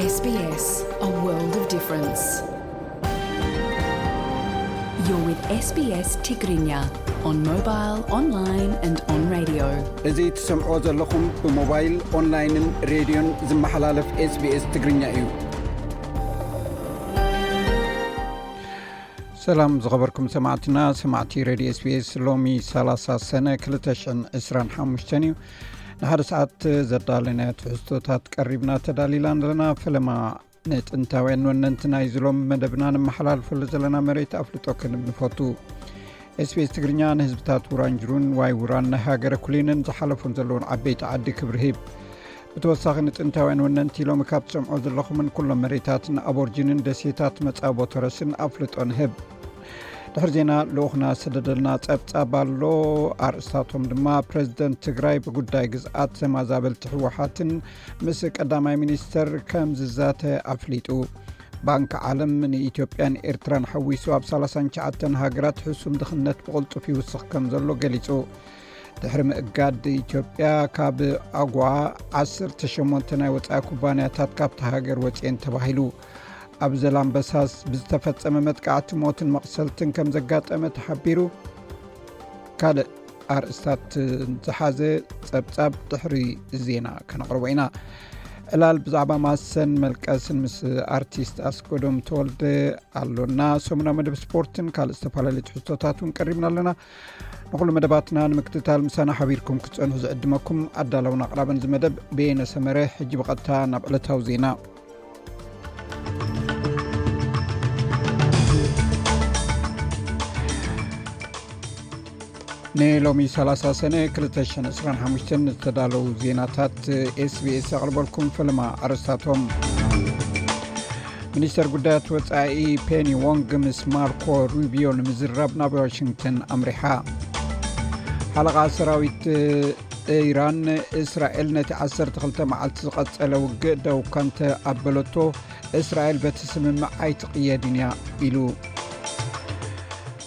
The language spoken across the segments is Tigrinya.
S B S, a world of difference. You're with S B S Tigrinya on mobile, online and on radio. እዚ ትሰምዖ ዘለኹም ብሞባይል፣ ኦንላይንን ሬድዮን ዝመሓላለፍ SBS ትግርኛ እዩ። ሰላም ዝኸበርኩም ሰማዕትና፣ ሰማዕቲ ሬድዮ SBS። ሎሚ ሰላሳ ሰነ ክልተ ሽሕን ዕስራን ሓሙሽተን እዩ። ንሓደ ሰዓት ዘዳለናዮ ትሕዝቶታት ቀሪብና ተዳሊላ ኣለና። ፈለማ ንጥንታውያን ወነንቲ ናይዚ ሎም መደብና ንመሓላልፈሉ ዘለና መሬት ኣፍልጦ ክንብ ንፈቱ። SBS ትግርኛ ንህዝብታት ውራንጅሩን ዋይ ውራን ናይ ሃገረ ኩሊንን ዝሓለፉን ዘለውን ዓበይቲ ዓዲ ክብሪ ሂብ። ብተወሳኺ ንጥንታውያን ወነንቲ ሎሚ ካብ ትሰምዖ ዘለኹምን ኩሎም መሬታትን ኣቦርጂንን ደሴታት መጻቦ ተረስን ኣፍልጦ ንህብ። ድሕሪ ዜና ልኡኽና ሰደደልና ጸብጻብ ኣሎ። ኣርእስታቶም ድማ ፕረዚደንት ትግራይ ብጉዳይ ግዝኣት ተማዛበልቲ ህወሓትን ምስ ቀዳማይ ሚኒስተር ከም ዝዛተ ኣፍሊጡ። ባንክ ዓለም ንኢትዮጵያን ኤርትራን ሓዊሱ ኣብ ሰላሳን ትሽዓተን ሃገራት ሕሱም ድኽነት ብቕልጡፍ ይውስኽ ከም ዘሎ ገሊጹ። ድሕሪ ምእጋድ ኢትዮጵያ ካብ ኣጓ ዓሰርተ ሸሞንተ ናይ ወጻኢ ኩባንያታት ካብታ ሃገር ወጺኤን ተባሂሉ። ኣብ ዘላምበሳስ ብዝተፈጸመ መጥቃዕቲ ሞትን መቕሰልትን ከም ዘጋጠመ ተሓቢሩ። ካልእ ኣርእስታት ዝሓዘ ጸብጻብ ድሕሪ ዜና ከነቕርቦ ኢና። ዕላል ብዛዕባ ማሰን መልቀስን ምስ ኣርቲስት ኣስጎዶም ተወልደ ኣሎና። ሰሙናዊ መደብ ስፖርትን ካልእ ዝተፈላለዩ ትሕዝቶታት እውን ቀሪብና ኣለና። ንኹሉ መደባትና ንምክትታል ምሳና ሓቢርኩም ክትጸንሑ ዝዕድመኩም ኣዳለውን ኣቕራብን እዚ መደብ በየነ ሰመረ። ሕጂ ብቐጥታ ናብ ዕለታዊ ዜና። ንሎሚ ሰላሳ ሰነ ክልተ ሽሕን ዕስራን ሓሙሽተን ዝተዳለዉ ዜናታት SBS ኣቕርበልኩም። ፈለማ ኣርእስታቶም። ሚኒስተር ጉዳያት ወጻኢ ፔኒ ዎንግ ምስ ማርኮ ሩቢዮ ንምዝራብ ናብ ዋሽንግተን ኣምሪሓ። ሓለቓ ሰራዊት ኢራን፣ እስራኤል ነቲ ዓሰርተ ክልተ መዓልቲ ዝቐጸለ ውግእ ደው ከምተ ኣበለቶ፣ እስራኤል በቲ ስምምዕ ኣይትቕየድን እያ ኢሉ።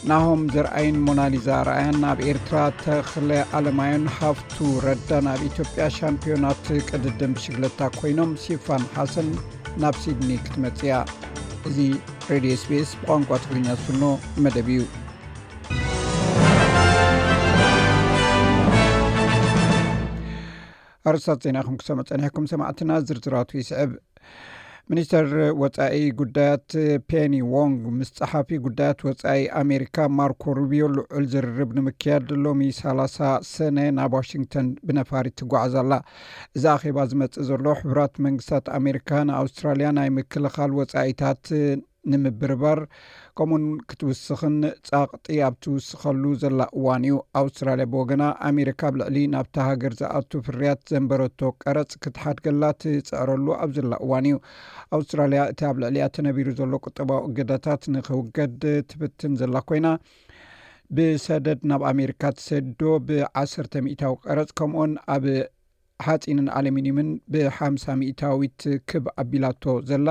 ናሆም ዘርኣይን ሞናሊዛ ኣርኣያን ኣብ ኤርትራ፣ ተኽለ ኣለማዮን ሃፍቱ ረዳን ኣብ ኢትዮጵያ ሻምፒዮናት ቅድድም ብሽግለታ ኮይኖም፣ ሲፋን ሓሰን ናብ ሲድኒ ክትመጽእ እያ። እዚ ሬድዮ SBS ብቋንቋ ትግርኛ ዝፍኖ መደብ እዩ። ኣርእስታት ዜና ኢኹም ክሰምዑ ጸኒሕኩም ሰማዕትና፣ ዝርዝራቱ ይስዕብ። ሚኒስተር ወጻኢ ጉዳያት ፔኒ ዎንግ ምስ ጸሓፊ ጉዳያት ወጻኢ ኣሜሪካ ማርኮ ሩቢዮ ልዑል ዝርርብ ንምክያድ ሎሚ ሰላሳ ሰነ ናብ ዋሽንግተን ብነፋሪት ትጓዓዝ ኣላ። እዚ ኣኼባ ዝመጽእ ዘሎ፣ ሕቡራት መንግስታት ኣሜሪካ ንኣውስትራልያ ናይ ምክልኻል ወጻኢታት ንምብርባር፣ ከምኡን ክትውስኽን ጸቕጢ ኣብ ትውስኸሉ ዘላ እዋን እዩ። ኣውስትራልያ ብወገና፣ ኣሜሪካ ኣብ ልዕሊ ናብታ ሃገር ዝኣቱ ፍርያት ዘንበረቶ ቀረጽ ክትሓድገላ ትጽዕረሉ ኣብ ዘላ እዋን እዩ። ኣውስትራልያ፣ እቲ ኣብ ልዕሊኣ ተነቢሩ ዘሎ ቁጠባዊ እገዳታት ንኽውገድ ትፍትን ዘላ ኮይና፣ ብሰደድ ናብ ኣሜሪካ ትሰዶ ብዓሰርተ ሚእታዊ ቀረጽ፣ ከምኡን ኣብ ሓጺንን ኣሉሚንዩምን ብሓምሳ ሚእታዊት ክብ ኣቢላቶ ዘላ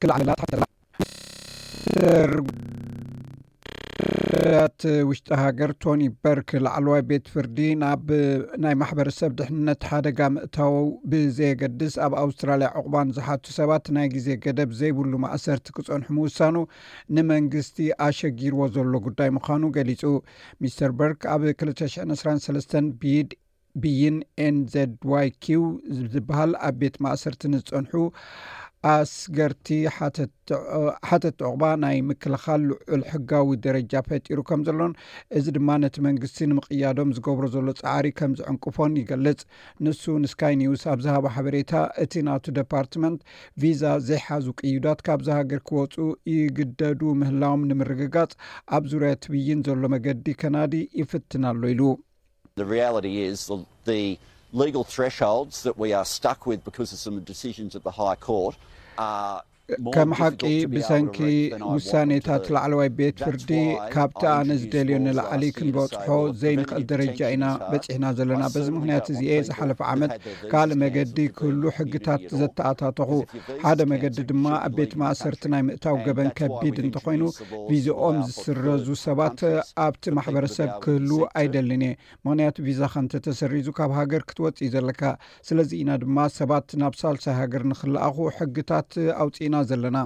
ክልዓለላ ትሓተላ። ሚኒስተር ጉዳያት ውሽጢ ሃገር ቶኒ በርክ፣ ላዕለዋይ ቤት ፍርዲ ናብ ናይ ማሕበረሰብ ድሕንነት ሓደጋ ምእታው ብዘየገድስ፣ ኣብ ኣውስትራልያ ዕቑባ ንዝሓቱ ሰባት ናይ ግዜ ገደብ ዘይብሉ ማእሰርቲ ክጸንሑ ምውሳኑ ንመንግስቲ ኣሸጊርዎ ዘሎ ጉዳይ ምዃኑ ገሊጹ። ሚስተር በርክ ኣብ ክልተ ሽሕን ዕስራን ሰለስተን ብይድ ብይን NZYQ ዝበሃል ኣብ ቤት ማእሰርቲ ንዝጸንሑ ኣስገርቲ ሓተት-፣ ሓተት ዕቑባ ናይ ምክልኻል ልዑል ሕጋዊ ደረጃ ፈጢሩ ከም ዘሎን፣ እዚ ድማ ነቲ መንግስቲ ንምቕያዶም ዝገብሮ ዘሎ ጻዕሪ ከም ዝዕንቅፎን ይገልጽ። ንሱ ንስካይ ኒውስ ኣብ ዝሃቦ ሓበሬታ፣ እቲ ናቱ ደፓርትመንት፣ ቪዛ ዘይሓዙ ቅዩዳት ካብዛ ሃገር ክወጹ ይግደዱ ምህላዎም ንምርግጋጽ ኣብ ዙርያ እቲ ብይን ዘሎ መገዲ ከናዲ ይፍትን ኣሎ ኢሉ። The reality is the, the legal thresholds that we are stuck with because of some decisions at the High Court are ከም ሓቂ ብሰንኪ ውሳኔታት ላዕለዋይ ቤት ፍርዲ ካብቲ ኣነ ዝደልዮ ንላዕሊ ክንበጽሖ ዘይንኽእል ደረጃ ኢና በጺሕና ዘለና። በዚ ምኽንያት እዚኤ ዝሓለፈ ዓመት ካልእ መገዲ ክህሉ ሕግታት ዘተኣታተኹ። ሓደ መገዲ ድማ ኣብ ቤት ማእሰርቲ ናይ ምእታው ገበን ከቢድ እንተኾይኑ ቪዝኦም ዝስረዙ ሰባት ኣብቲ ማሕበረሰብ ክህሉ ኣይደልን እየ። ምኽንያቱ ቪዛኻ እንተተሰሪዙ ካብ ሃገር ክትወጽእ እዩ ዘለካ። ስለዚ ኢና ድማ ሰባት ናብ ሳልሳይ ሃገር ንኽለኣኹ ሕግታት ኣውፂእና ዘለና።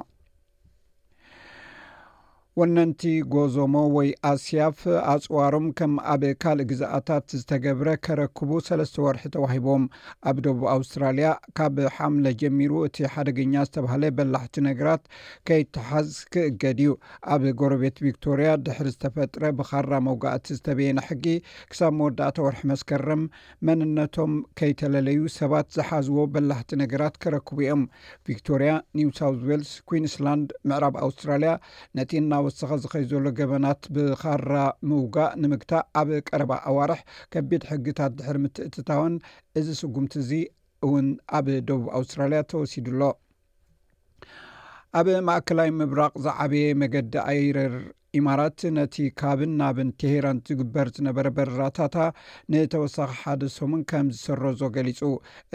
ወነንቲ ጎዞሞ ወይ ኣስያፍ ኣፅዋሮም ከም ኣብ ካልእ ግዝኣታት ዝተገብረ ከረክቡ ሰለስተ ወርሒ ተዋሂቦም። ኣብ ደቡብ ኣውስትራልያ ካብ ሓምለ ጀሚሩ እቲ ሓደገኛ ዝተባህለ በላሕቲ ነገራት ከይተሓዝ ክእገድ እዩ። ኣብ ጎረቤት ቪክቶርያ ድሕሪ ዝተፈጥረ ብኻራ መውጋእቲ ዝተበየነ ሕጊ ክሳብ መወዳእታ ወርሒ መስከረም መንነቶም ከይተለለዩ ሰባት ዝሓዝዎ በላሕቲ ነገራት ከረክቡ እዮም። ቪክቶርያ፣ ኒው ሳውዝ ዌልስ፣ ኩዊንስላንድ፣ ምዕራብ ኣውስትራልያ ነቲ እናወሰኸ ዝኸይ ዘሎ ገበናት ብኻራ ምውጋእ ንምግታእ ኣብ ቀረባ ኣዋርሕ ከቢድ ሕግታት ድሕሪ ምትእትታወን እዚ ስጉምቲ እዚ እውን ኣብ ደቡብ ኣውስትራልያ ተወሲዱ ኣሎ። ኣብ ማእከላይ ምብራቕ ዝዓበየ መገዲ ኣየር ኢማራት ነቲ ካብን ናብን ቴሄራን ዝግበር ዝነበረ በረራታታ ንተወሳኺ ሓደ ሰሙን ከም ዝሰረዞ ገሊጹ።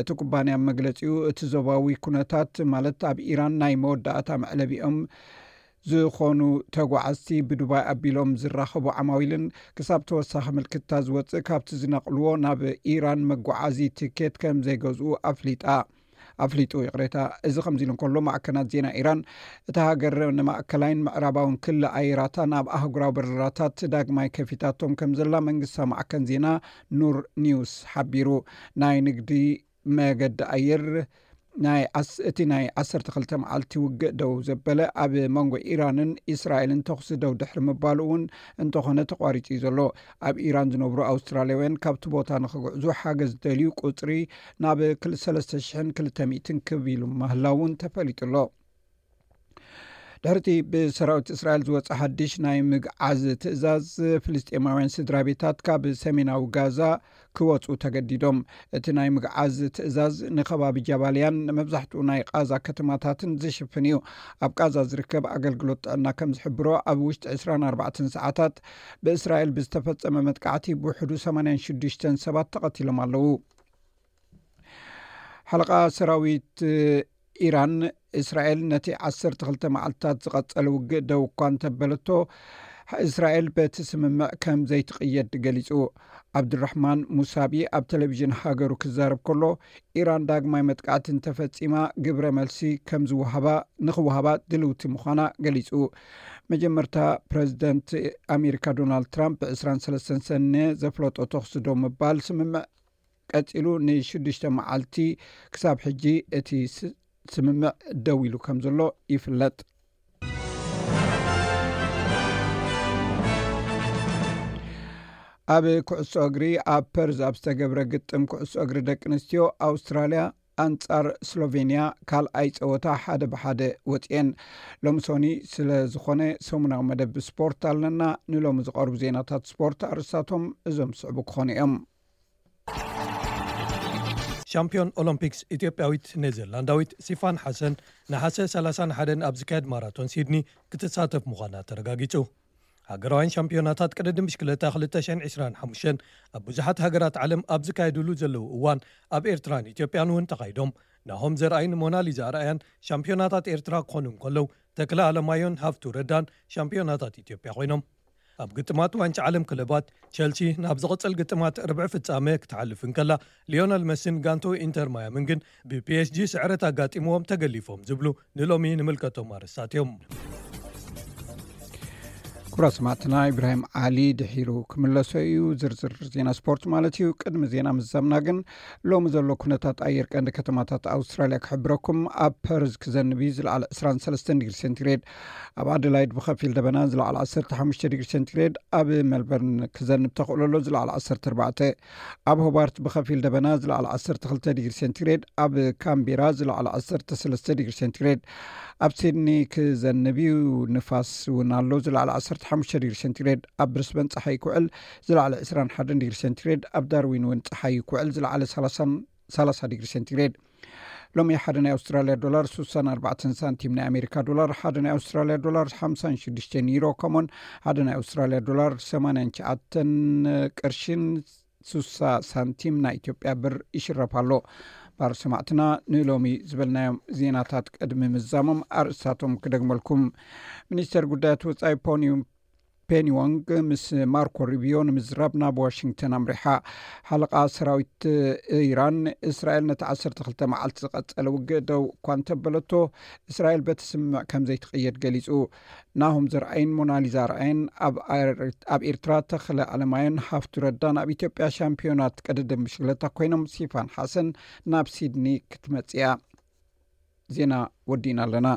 እቲ ኩባንያ ኣብ መግለጺኡ እቲ ዞባዊ ኩነታት ማለት ኣብ ኢራን ናይ መወዳእታ መዕለቢኦም ዝኾኑ ተጓዓዝቲ ብዱባይ ኣቢሎም ዝራኸቡ ዓማዊልን ክሳብ ተወሳኺ ምልክታ ዝወፅእ ካብቲ ዝነቕልዎ ናብ ኢራን መጓዓዚ ትኬት ከም ዘይገዝኡ ኣፍሊጣ ኣፍሊጡ። ይቕሬታ። እዚ ከምዚ ኢሉ እንከሎ ማዕከናት ዜና ኢራን እታ ሃገር ንማእከላይን ምዕራባውን ክሊ ኣየራታ ናብ ኣህጉራዊ በረራታት ዳግማይ ከፊታቶም ከም ዘላ መንግስታዊ ማዕከን ዜና ኑር ኒውስ ሓቢሩ። ናይ ንግዲ መገዲ ኣየር ናይ ዓስ- እቲ ናይ ዓሰርተ ክልተ መዓልቲ ውግእ ደው ዘበለ ኣብ መንጎ ኢራንን እስራኤልን ተኹሲ ደው ድሕሪ ምባሉ እውን እንተኾነ ተቋሪጹ እዩ ዘሎ። ኣብ ኢራን ዝነብሩ ኣውስትራልያውያን ካብቲ ቦታ ንኽግዕዙ ሓገዝ ዝደልዩ ቁጽሪ ናብ ክል- ሰለስተ ሽሕን ክልተ ሚእትን ክብ ኢሉ ምህላው እውን ተፈሊጡ ኣሎ። ድሕርቲ ብሰራዊት እስራኤል ዝወፀ ሓድሽ ናይ ምግዓዝ ትእዛዝ ፍልስጤማውያን ስድራ ቤታት ካብ ሰሜናዊ ጋዛ ክወፁ ተገዲዶም። እቲ ናይ ምግዓዝ ትእዛዝ ንከባቢ ጃባልያን ንመብዛሕትኡ ናይ ቃዛ ከተማታትን ዝሽፍን እዩ። ኣብ ቃዛ ዝርከብ ኣገልግሎት ጥዕና ከም ዝሕብሮ ኣብ ውሽጢ ዕስራን ኣርባዕተን ሰዓታት ብእስራኤል ብዝተፈጸመ መጥቃዕቲ ብውሕዱ ሰማንያን ሽዱሽተን ሰባት ተቐቲሎም ኣለዉ። ሓለቓ ሰራዊት ኢራን እስራኤል ነቲ ዓሰርተ ክልተ መዓልትታት ዝቐጸለ ውግእ ደው እኳ እንተበለቶ እስራኤል በቲ ስምምዕ ከም ዘይትቕየድ ገሊጹ። ዓብዱራሕማን ሙሳቢ ኣብ ቴሌቪዥን ሃገሩ ክዛረብ ከሎ ኢራን ዳግማይ መጥቃዕቲ እንተፈጺማ ግብረ መልሲ ከም ዝወሃባ ንኽወሃባ ድልውቲ ምዃና ገሊጹ። መጀመርታ ፕረዚደንት ኣሜሪካ ዶናልድ ትራምፕ ብ ዕስራን ሰለስተን ሰነ ዘፍለጦ ተኽሲ ደው ምባል ስምምዕ ቀጺሉ ንሽዱሽተ መዓልቲ ክሳብ ሕጂ እቲ ስ- ስምምዕ ደው ኢሉ ከም ዘሎ ይፍለጥ። ኣብ ኩዕሶ እግሪ ኣብ ፐርዝ ኣብ ዝተገብረ ግጥም ኩዕሶ እግሪ ደቂ ኣንስትዮ ኣውስትራልያ ኣንጻር ስሎቬንያ ካልኣይ ጸወታ ሓደ ብሓደ ወጽኤን። ሎምሶኒ ስለ ዝኾነ ሰሙናዊ መደብ ስፖርት ኣለና። ንሎሚ ዝቐርቡ ዜናታት ስፖርት ኣርስታቶም እዞም ዝስዕቡ ክኾኑ እዮም። ሻምፒዮን ኦሎምፒክስ ኢትዮጵያዊት ኔዘርላንዳዊት ሲፋን ሓሰን ነሓሰ ሰላሳን ሓደን ኣብ ዝካየድ ማራቶን ሲድኒ ክትሳተፍ ምዃና ተረጋጊጹ። ሃገራውያን ሻምፒዮናታት ቅድድም ብሽክለታ ክልተ ሽሕን ዕስራን ሓሙሽተን ኣብ ብዙሓት ሃገራት ዓለም ኣብ ዝካየድሉ ዘለዉ እዋን ኣብ ኤርትራን ኢትዮጵያን እውን ተኻይዶም። ናሆም ዘርኣይን ሞናሊዛ ኣርኣያን ሻምፒዮናታት ኤርትራ ክኾኑ እንከለዉ ተክለ ኣለማዮን ሃፍቱ ረዳን ሻምፒዮናታት ኢትዮጵያ ኮይኖም። ኣብ ግጥማት ዋንጫ ዓለም ክለባት ቸልሲ ናብ ዝቕጽል ግጥማት ርብዒ ፍጻመ ክትሓልፍ እንከላ ሊዮነል መሲን ጋንቶ ኢንተር ማያምን ግን ብፒኤስጂ ስዕረት ኣጋጢምዎም ተገሊፎም ዝብሉ ንሎሚ ንምልከቶም ኣርእስታት እዮም። ክቡራት ሰማዕትና፣ ኢብራሂም ዓሊ ድሒሩ ክምለሶ እዩ። ዝርዝር ዜና ስፖርት ማለት እዩ። ቅድሚ ዜና ምዛምና ግን ሎሚ ዘሎ ኩነታት ኣየር ቀንዲ ከተማታት ኣውስትራልያ ክሕብረኩም። ኣብ ፐርዝ ክዘንብ እዩ፣ ዝለዓለ ዕስራን ሰለስተን ዲግሪ ሴንቲግሬድ። ኣብ ኣደላይድ ብኸፊል ደበና፣ ዝለዓለ ዓሰርተ ሓሙሽተ ዲግሪ ሴንቲግሬድ። ኣብ ሜልበርን ክዘንብ ተኽእሎ ኣሎ፣ ዝለዓለ ዓሰርተ ኣርባዕተ። ኣብ ሆባርት ብኸፊል ደበና፣ ዝለዓለ ዓሰርተ ክልተ ዲግሪ ሴንቲግሬድ። ኣብ ካምቤራ ዝለዓለ ዓሰርተ ሰለስተ ዲግሪ ሴንቲግሬድ። ኣብ ሲድኒ ክዘንብ እዩ፣ ንፋስ እውን ኣሎ፣ ዝለዓለ ዓሰርተ ሓሙሽተ ዲግሪ ሴንቲግሬድ። ኣብ ብሪስበን ጸሓይ ክውዕል፣ ዝለዓለ ዕስራን ሓደን ዲግሪ ሴንቲግሬድ። ኣብ ዳርዊን እውን ጸሓይ ክውዕል፣ ዝለዓለ ሰላሳን ሰላሳ ዲግሪ ሴንቲግሬድ። ሎሚ ሓደ ናይ ኣውስትራልያ ዶላር ስሳን ኣርባዕተን ሳንቲም፣ ናይ ኣሜሪካ ዶላር ሓደ ናይ ኣውስትራልያ ዶላር ሓምሳን ሽዱሽተን ዩሮ፣ ከምኡን ሓደ ናይ ኣውስትራልያ ዶላር ሰማንያን ትሽዓተን ቅርሽን ስሳ ሳንቲም ናይ ኢትዮጵያ ብር ይሽረፍ ኣሎ። ባር ሰማዕትና፣ ንሎሚ ዝበልናዮም ዜናታት ቅድሚ ምዛሞም ኣርእስታቶም ክደግመልኩም። ሚኒስተር ጉዳያት ወጻኢ ፖኒ ፔኒ ዎንግ ምስ ማርኮ ሩቢዮ ንምዝራብ ናብ ዋሽንግተን ኣምሪሓ። ሓለቓ ሰራዊት ኢራን፣ እስራኤል ነቲ ዓሰርተ ክልተ መዓልቲ ዝቐጸለ ውግእ ደው እኳ እንተበለቶ፣ እስራኤል በቲ ስምምዕ ከም ዘይትቕየድ ገሊጹ። ናሆም ዘርኣይን ሞናሊዛ ኣርኣየን ኣብ ኣር-፣ ኣብ ኤርትራ፣ ተኽለ ኣለማየን ሃፍቱ ረዳን ኣብ ኢትዮጵያ ሻምፒዮናት ቅድድም ብሽክለታ ኮይኖም፣ ሲፋን ሓሰን ናብ ሲድኒ ክትመጽእ እያ። ዜና ወዲእና ኣለና።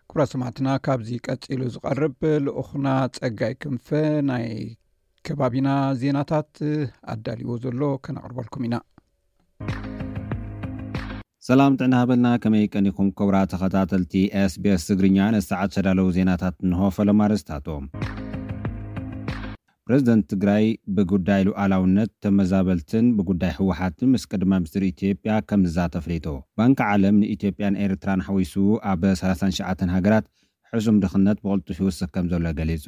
ክቡራት ሰማዕትና፣ ካብዚ ቀጺሉ ዝቐርብ ልኡኽና ጸጋይ ክንፈ ናይ ከባቢና ዜናታት ኣዳልዎ ዘሎ ከነቕርበልኩም ኢና። ሰላም ጥዕና ሃበልና፣ ከመይ ቀኒኹም ክቡራት ተኸታተልቲ ኤስቢኤስ ትግርኛ? ንሰዓት ዝተዳለዉ ዜናታት እንሆ። ፈለማ ኣርእስታቶም። ፕረዚደንት ትግራይ ብጉዳይ ሉዓላውነት ተመዛበልትን ብጉዳይ ህወሓትን ምስ ቀዳማይ ሚኒስትር ኢትዮጵያ ከም ዝዛተ ኣፍሊጡ። ባንኪ ዓለም ንኢትዮጵያን ኤርትራን ሓዊሱ ኣብ ሰላሳን ትሽዓተን ሃገራት ሕሱም ድኽነት ብቕልጡፍ ይውስኽ ከም ዘሎ ገሊጹ።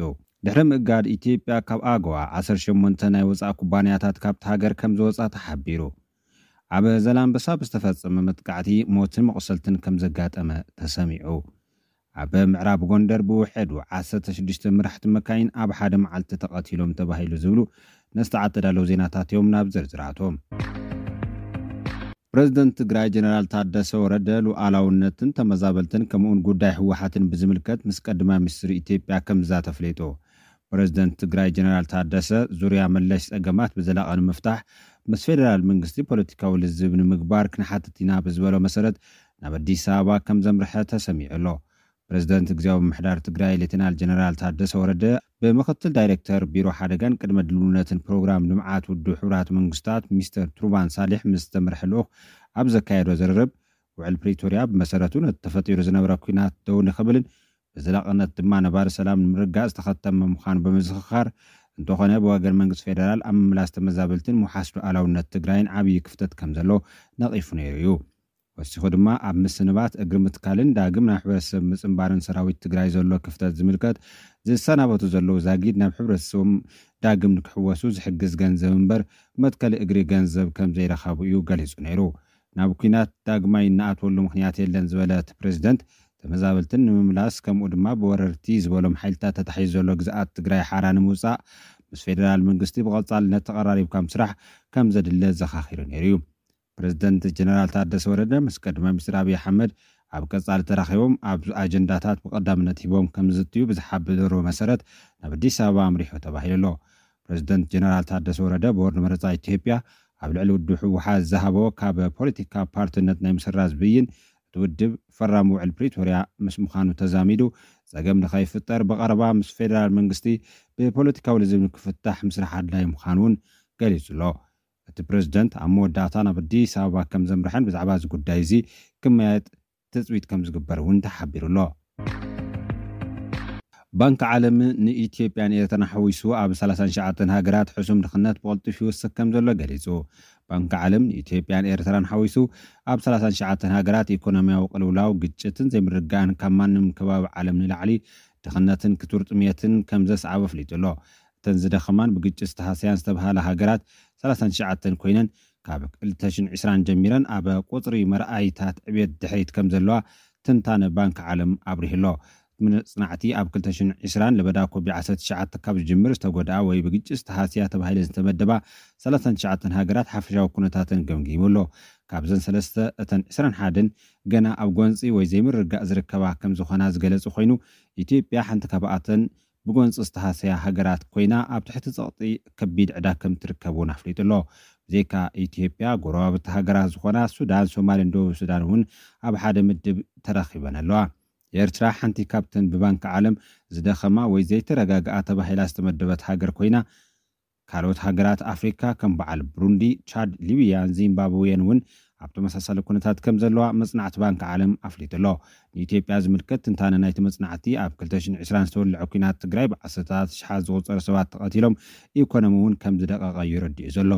ድሕሪ ምእጋድ ኢትዮጵያ ካብ ኣጎዋ፣ ዓሰርተ ሸሞንተ ናይ ወጻኢ ኩባንያታት ካብቲ ሃገር ከም ዝወጻ ተሓቢሩ። ኣብ ዘላንበሳ ብዝተፈጸመ መጥቃዕቲ ሞትን መቑሰልትን ከም ዘጋጠመ ተሰሚዑ። ኣብ ምዕራብ ጎንደር ብውሕዱ ዓሰርተ ሽዱሽተ መራሕቲ መካይን ኣብ ሓደ መዓልቲ ተቐቲሎም ተባሂሉ ዝብሉ ነስተዓት ተዳለዉ ዜናታት እዮም። ናብ ዝርዝራቶም። ፕረዚደንት ትግራይ ጀነራል ታደሰ ወረደ ሉዓላውነትን ተመዛበልትን ከምኡውን ጉዳይ ህወሓትን ብዝምልከት ምስ ቀዳማይ ሚኒስትር ኢትዮጵያ ከም ዝዛተ ኣፍሊጡ። ፕረዚደንት ትግራይ ጀነራል ታደሰ ዙርያ መለሽ ጸገማት ብዘላቒ ንምፍታሕ ምስ ፌደራል መንግስቲ ፖለቲካዊ ልዝብ ንምግባር ክንሓትት ኢና ብዝበሎ መሰረት ናብ ኣዲስ ኣበባ ከም ዘምርሐ ተሰሚዑ ኣሎ። ፕረዚደንት ግዝያዊ ምምሕዳር ትግራይ ሌተናል ጀነራል ታደሰ ወረደ ብምክትል ዳይሬክተር ቢሮ ሓደጋን ቅድመ ድልውነትን ፕሮግራም ልምዓት ውድብ ሕቡራት መንግስታት ሚስተር ትሩባን ሳሊሕ ምስ ዝተመርሐ ልኡኽ ኣብ ዘካየዶ ዝርርብ፣ ውዕል ፕሪቶርያ ብመሰረቱ ነቲ ተፈጢሩ ዝነበረ ኲናት ደው ንኽብልን ብዘላቕነት ድማ ነባሪ ሰላም ንምርጋጽ ዝተኸተመ ምዃኑ ብምዝኽኻር፣ እንተኾነ ብወገን መንግስቲ ፌደራል ኣብ ምምላስ ተመዛበልትን ምውሓስ ሉዓላውነት ትግራይን ዓብዪ ክፍተት ከም ዘሎ ነቒፉ ነይሩ እዩ። ወሲኹ ድማ ኣብ ምስንባት፣ እግሪ ምትካልን ዳግም ናብ ሕብረተሰብ ምጽንባርን ሰራዊት ትግራይ ዘሎ ክፍተት ዝምልከት ዝሰናበቱ ዘለዉ ዛጊድ ናብ ሕብረተሰቦም ዳግም ንክሕወሱ ዝሕግዝ ገንዘብ እምበር መትከሊ እግሪ ገንዘብ ከም ዘይረኸቡ እዩ ገሊጹ ነይሩ። ናብ ኲናት ዳግማይ እንኣትወሉ ምኽንያት የለን ዝበለ እቲ ፕረዚደንት፣ ተመዛበልትን ንምምላስ ከምኡ ድማ ብወረርቲ ዝበሎም ሓይልታት ተታሒዙ ዘሎ ግዝኣት ትግራይ ሓራ ንምውጻእ ምስ ፌደራል መንግስቲ ብቐጻልነት ተቐራሪብካ ምስራሕ ከም ዘድለ ዘኻኺሩ ነይሩ እዩ። ፕረዚደንት ጀነራል ታደሰ ወረደ ምስ ቀዳማይ ሚኒስትር ኣብይ ኣሕመድ ኣብ ቀጻሊ ተራኺቦም ኣብ ኣጀንዳታት ብቐዳምነት ሂቦም ከም ዝዝትዩ ብዝሓበሮ መሰረት ናብ ኣዲስ ኣበባ ኣምሪሑ ተባሂሉ ኣሎ። ፕረዚደንት ጀነራል ታደሰ ወረደ ቦርድ መረጻ ኢትዮጵያ ኣብ ልዕሊ ውድብ ህወሓት ዝሃቦ ካብ ፖለቲካ ፓርትነት ናይ ምስራዝ ብይን፣ እቲ ውድብ ፈራሚ ውዕል ፕሪቶርያ ምስ ምዃኑ ተዛሚዱ፣ ጸገም ንኸይፍጠር ብቐረባ ምስ ፌደራል መንግስቲ ብፖለቲካዊ ልዝብ ንክፍታሕ ምስራሕ ኣድላዪ ምዃኑ እውን ገሊጹ ኣሎ። እቲ ፕረዚደንት ኣብ መወዳእታ ናብ ኣዲስ ኣበባ ከም ዘምርሐን ብዛዕባ እዚ ጉዳይ እዚ ክመያየጥ ትጽቢት ከም ዝግበር እውን ተሓቢሩ ኣሎ። ባንኪ ዓለም ንኢትዮጵያን ኤርትራን ሓዊሱ ኣብ ሰላሳን ትሽዓተን ሃገራት ሕሱም ድኽነት ብቕልጡፍ ይውስኽ ከም ዘሎ ገሊጹ። ባንኪ ዓለም ንኢትዮጵያን ኤርትራን ሓዊሱ ኣብ ሰላሳን ትሽዓተን ሃገራት ኢኮኖሚያዊ ቅልውላው፣ ግጭትን ዘይምርግጋእን ካብ ማንም ከባቢ ዓለም ንላዕሊ ድኽነትን ክቱር ጥሜትን ከም ዘስዓበ ኣፍሊጡ ኣሎ። እተን ዝደኸማን ብግጭት ዝተሃሰያን ዝተብሃላ ሃገራት ሰላሳን ትሽዓተን ኮይነን፣ ካብ ክልተ ሽሕን ዕስራን ጀሚረን ኣብ ቁጽሪ መርኣይታት ዕብየት ድሕሪት ከም ዘለዋ ትንታነ ባንኪ ዓለም ኣብሪሁ ኣሎ። እቲ መጽናዕቲ ኣብ ክልተ ሽሕን ዕስራን ለበዳ ኮቪድ ዓሰርተ ትሽዓተ ካብ ዝጅምር ዝተጎድኣ ወይ ብግጭት ዝተሃስያ ተባሂለን ዝተመደባ ሰላሳን ትሽዓተን ሃገራት ሓፈሻዊ ኩነታተን ገምጊሙ ኣሎ። ካብዘን ሰለስተ፣ እተን ዕስራን ሓደን ገና ኣብ ጎንጺ ወይ ዘይምርግጋእ ዝርከባ ከም ዝኾና ዝገለጸ ኮይኑ፣ ኢትዮጵያ ሓንቲ ካብኣተን ብጎንጺ ዝተሃሰያ ሃገራት ኮይና፣ ኣብ ትሕቲ ጸቕጢ ከቢድ ዕዳ ከም ትርከብ እውን ኣፍሊጡ ኣሎ። ብዘይካ ኢትዮጵያ፣ ጎረባብቲ ሃገራት ዝኾና ሱዳን፣ ሶማልን ደቡብ ሱዳን እውን ኣብ ሓደ ምድብ ተረኺበን ኣለዋ። ኤርትራ ሓንቲ ካብተን ብባንኪ ዓለም ዝደኸማ ወይ ዘይተረጋግኣ ተባሂላ ዝተመደበት ሃገር ኮይና፣ ካልኦት ሃገራት ኣፍሪካ ከም በዓል ብሩንዲ፣ ቻድ፣ ሊብያን ዚምባብዌን እውን ኣብ ተመሳሳሊ ኩነታት ከም ዘለዋ መጽናዕቲ ባንኪ ዓለም ኣፍሊጡ ኣሎ። ንኢትዮጵያ ዝምልከት ትንታነ ናይቲ መጽናዕቲ፣ ኣብ ክልተ ሽሕን ዕስራን ዝተወልዐ ኲናት ትግራይ ብዓሰርታት ሽሓት ዝቑጸሩ ሰባት ተቐቲሎም፣ ኢኮኖሚ እውን ከም ዝደቐቐ እዩ ረዲኡ ዘሎ።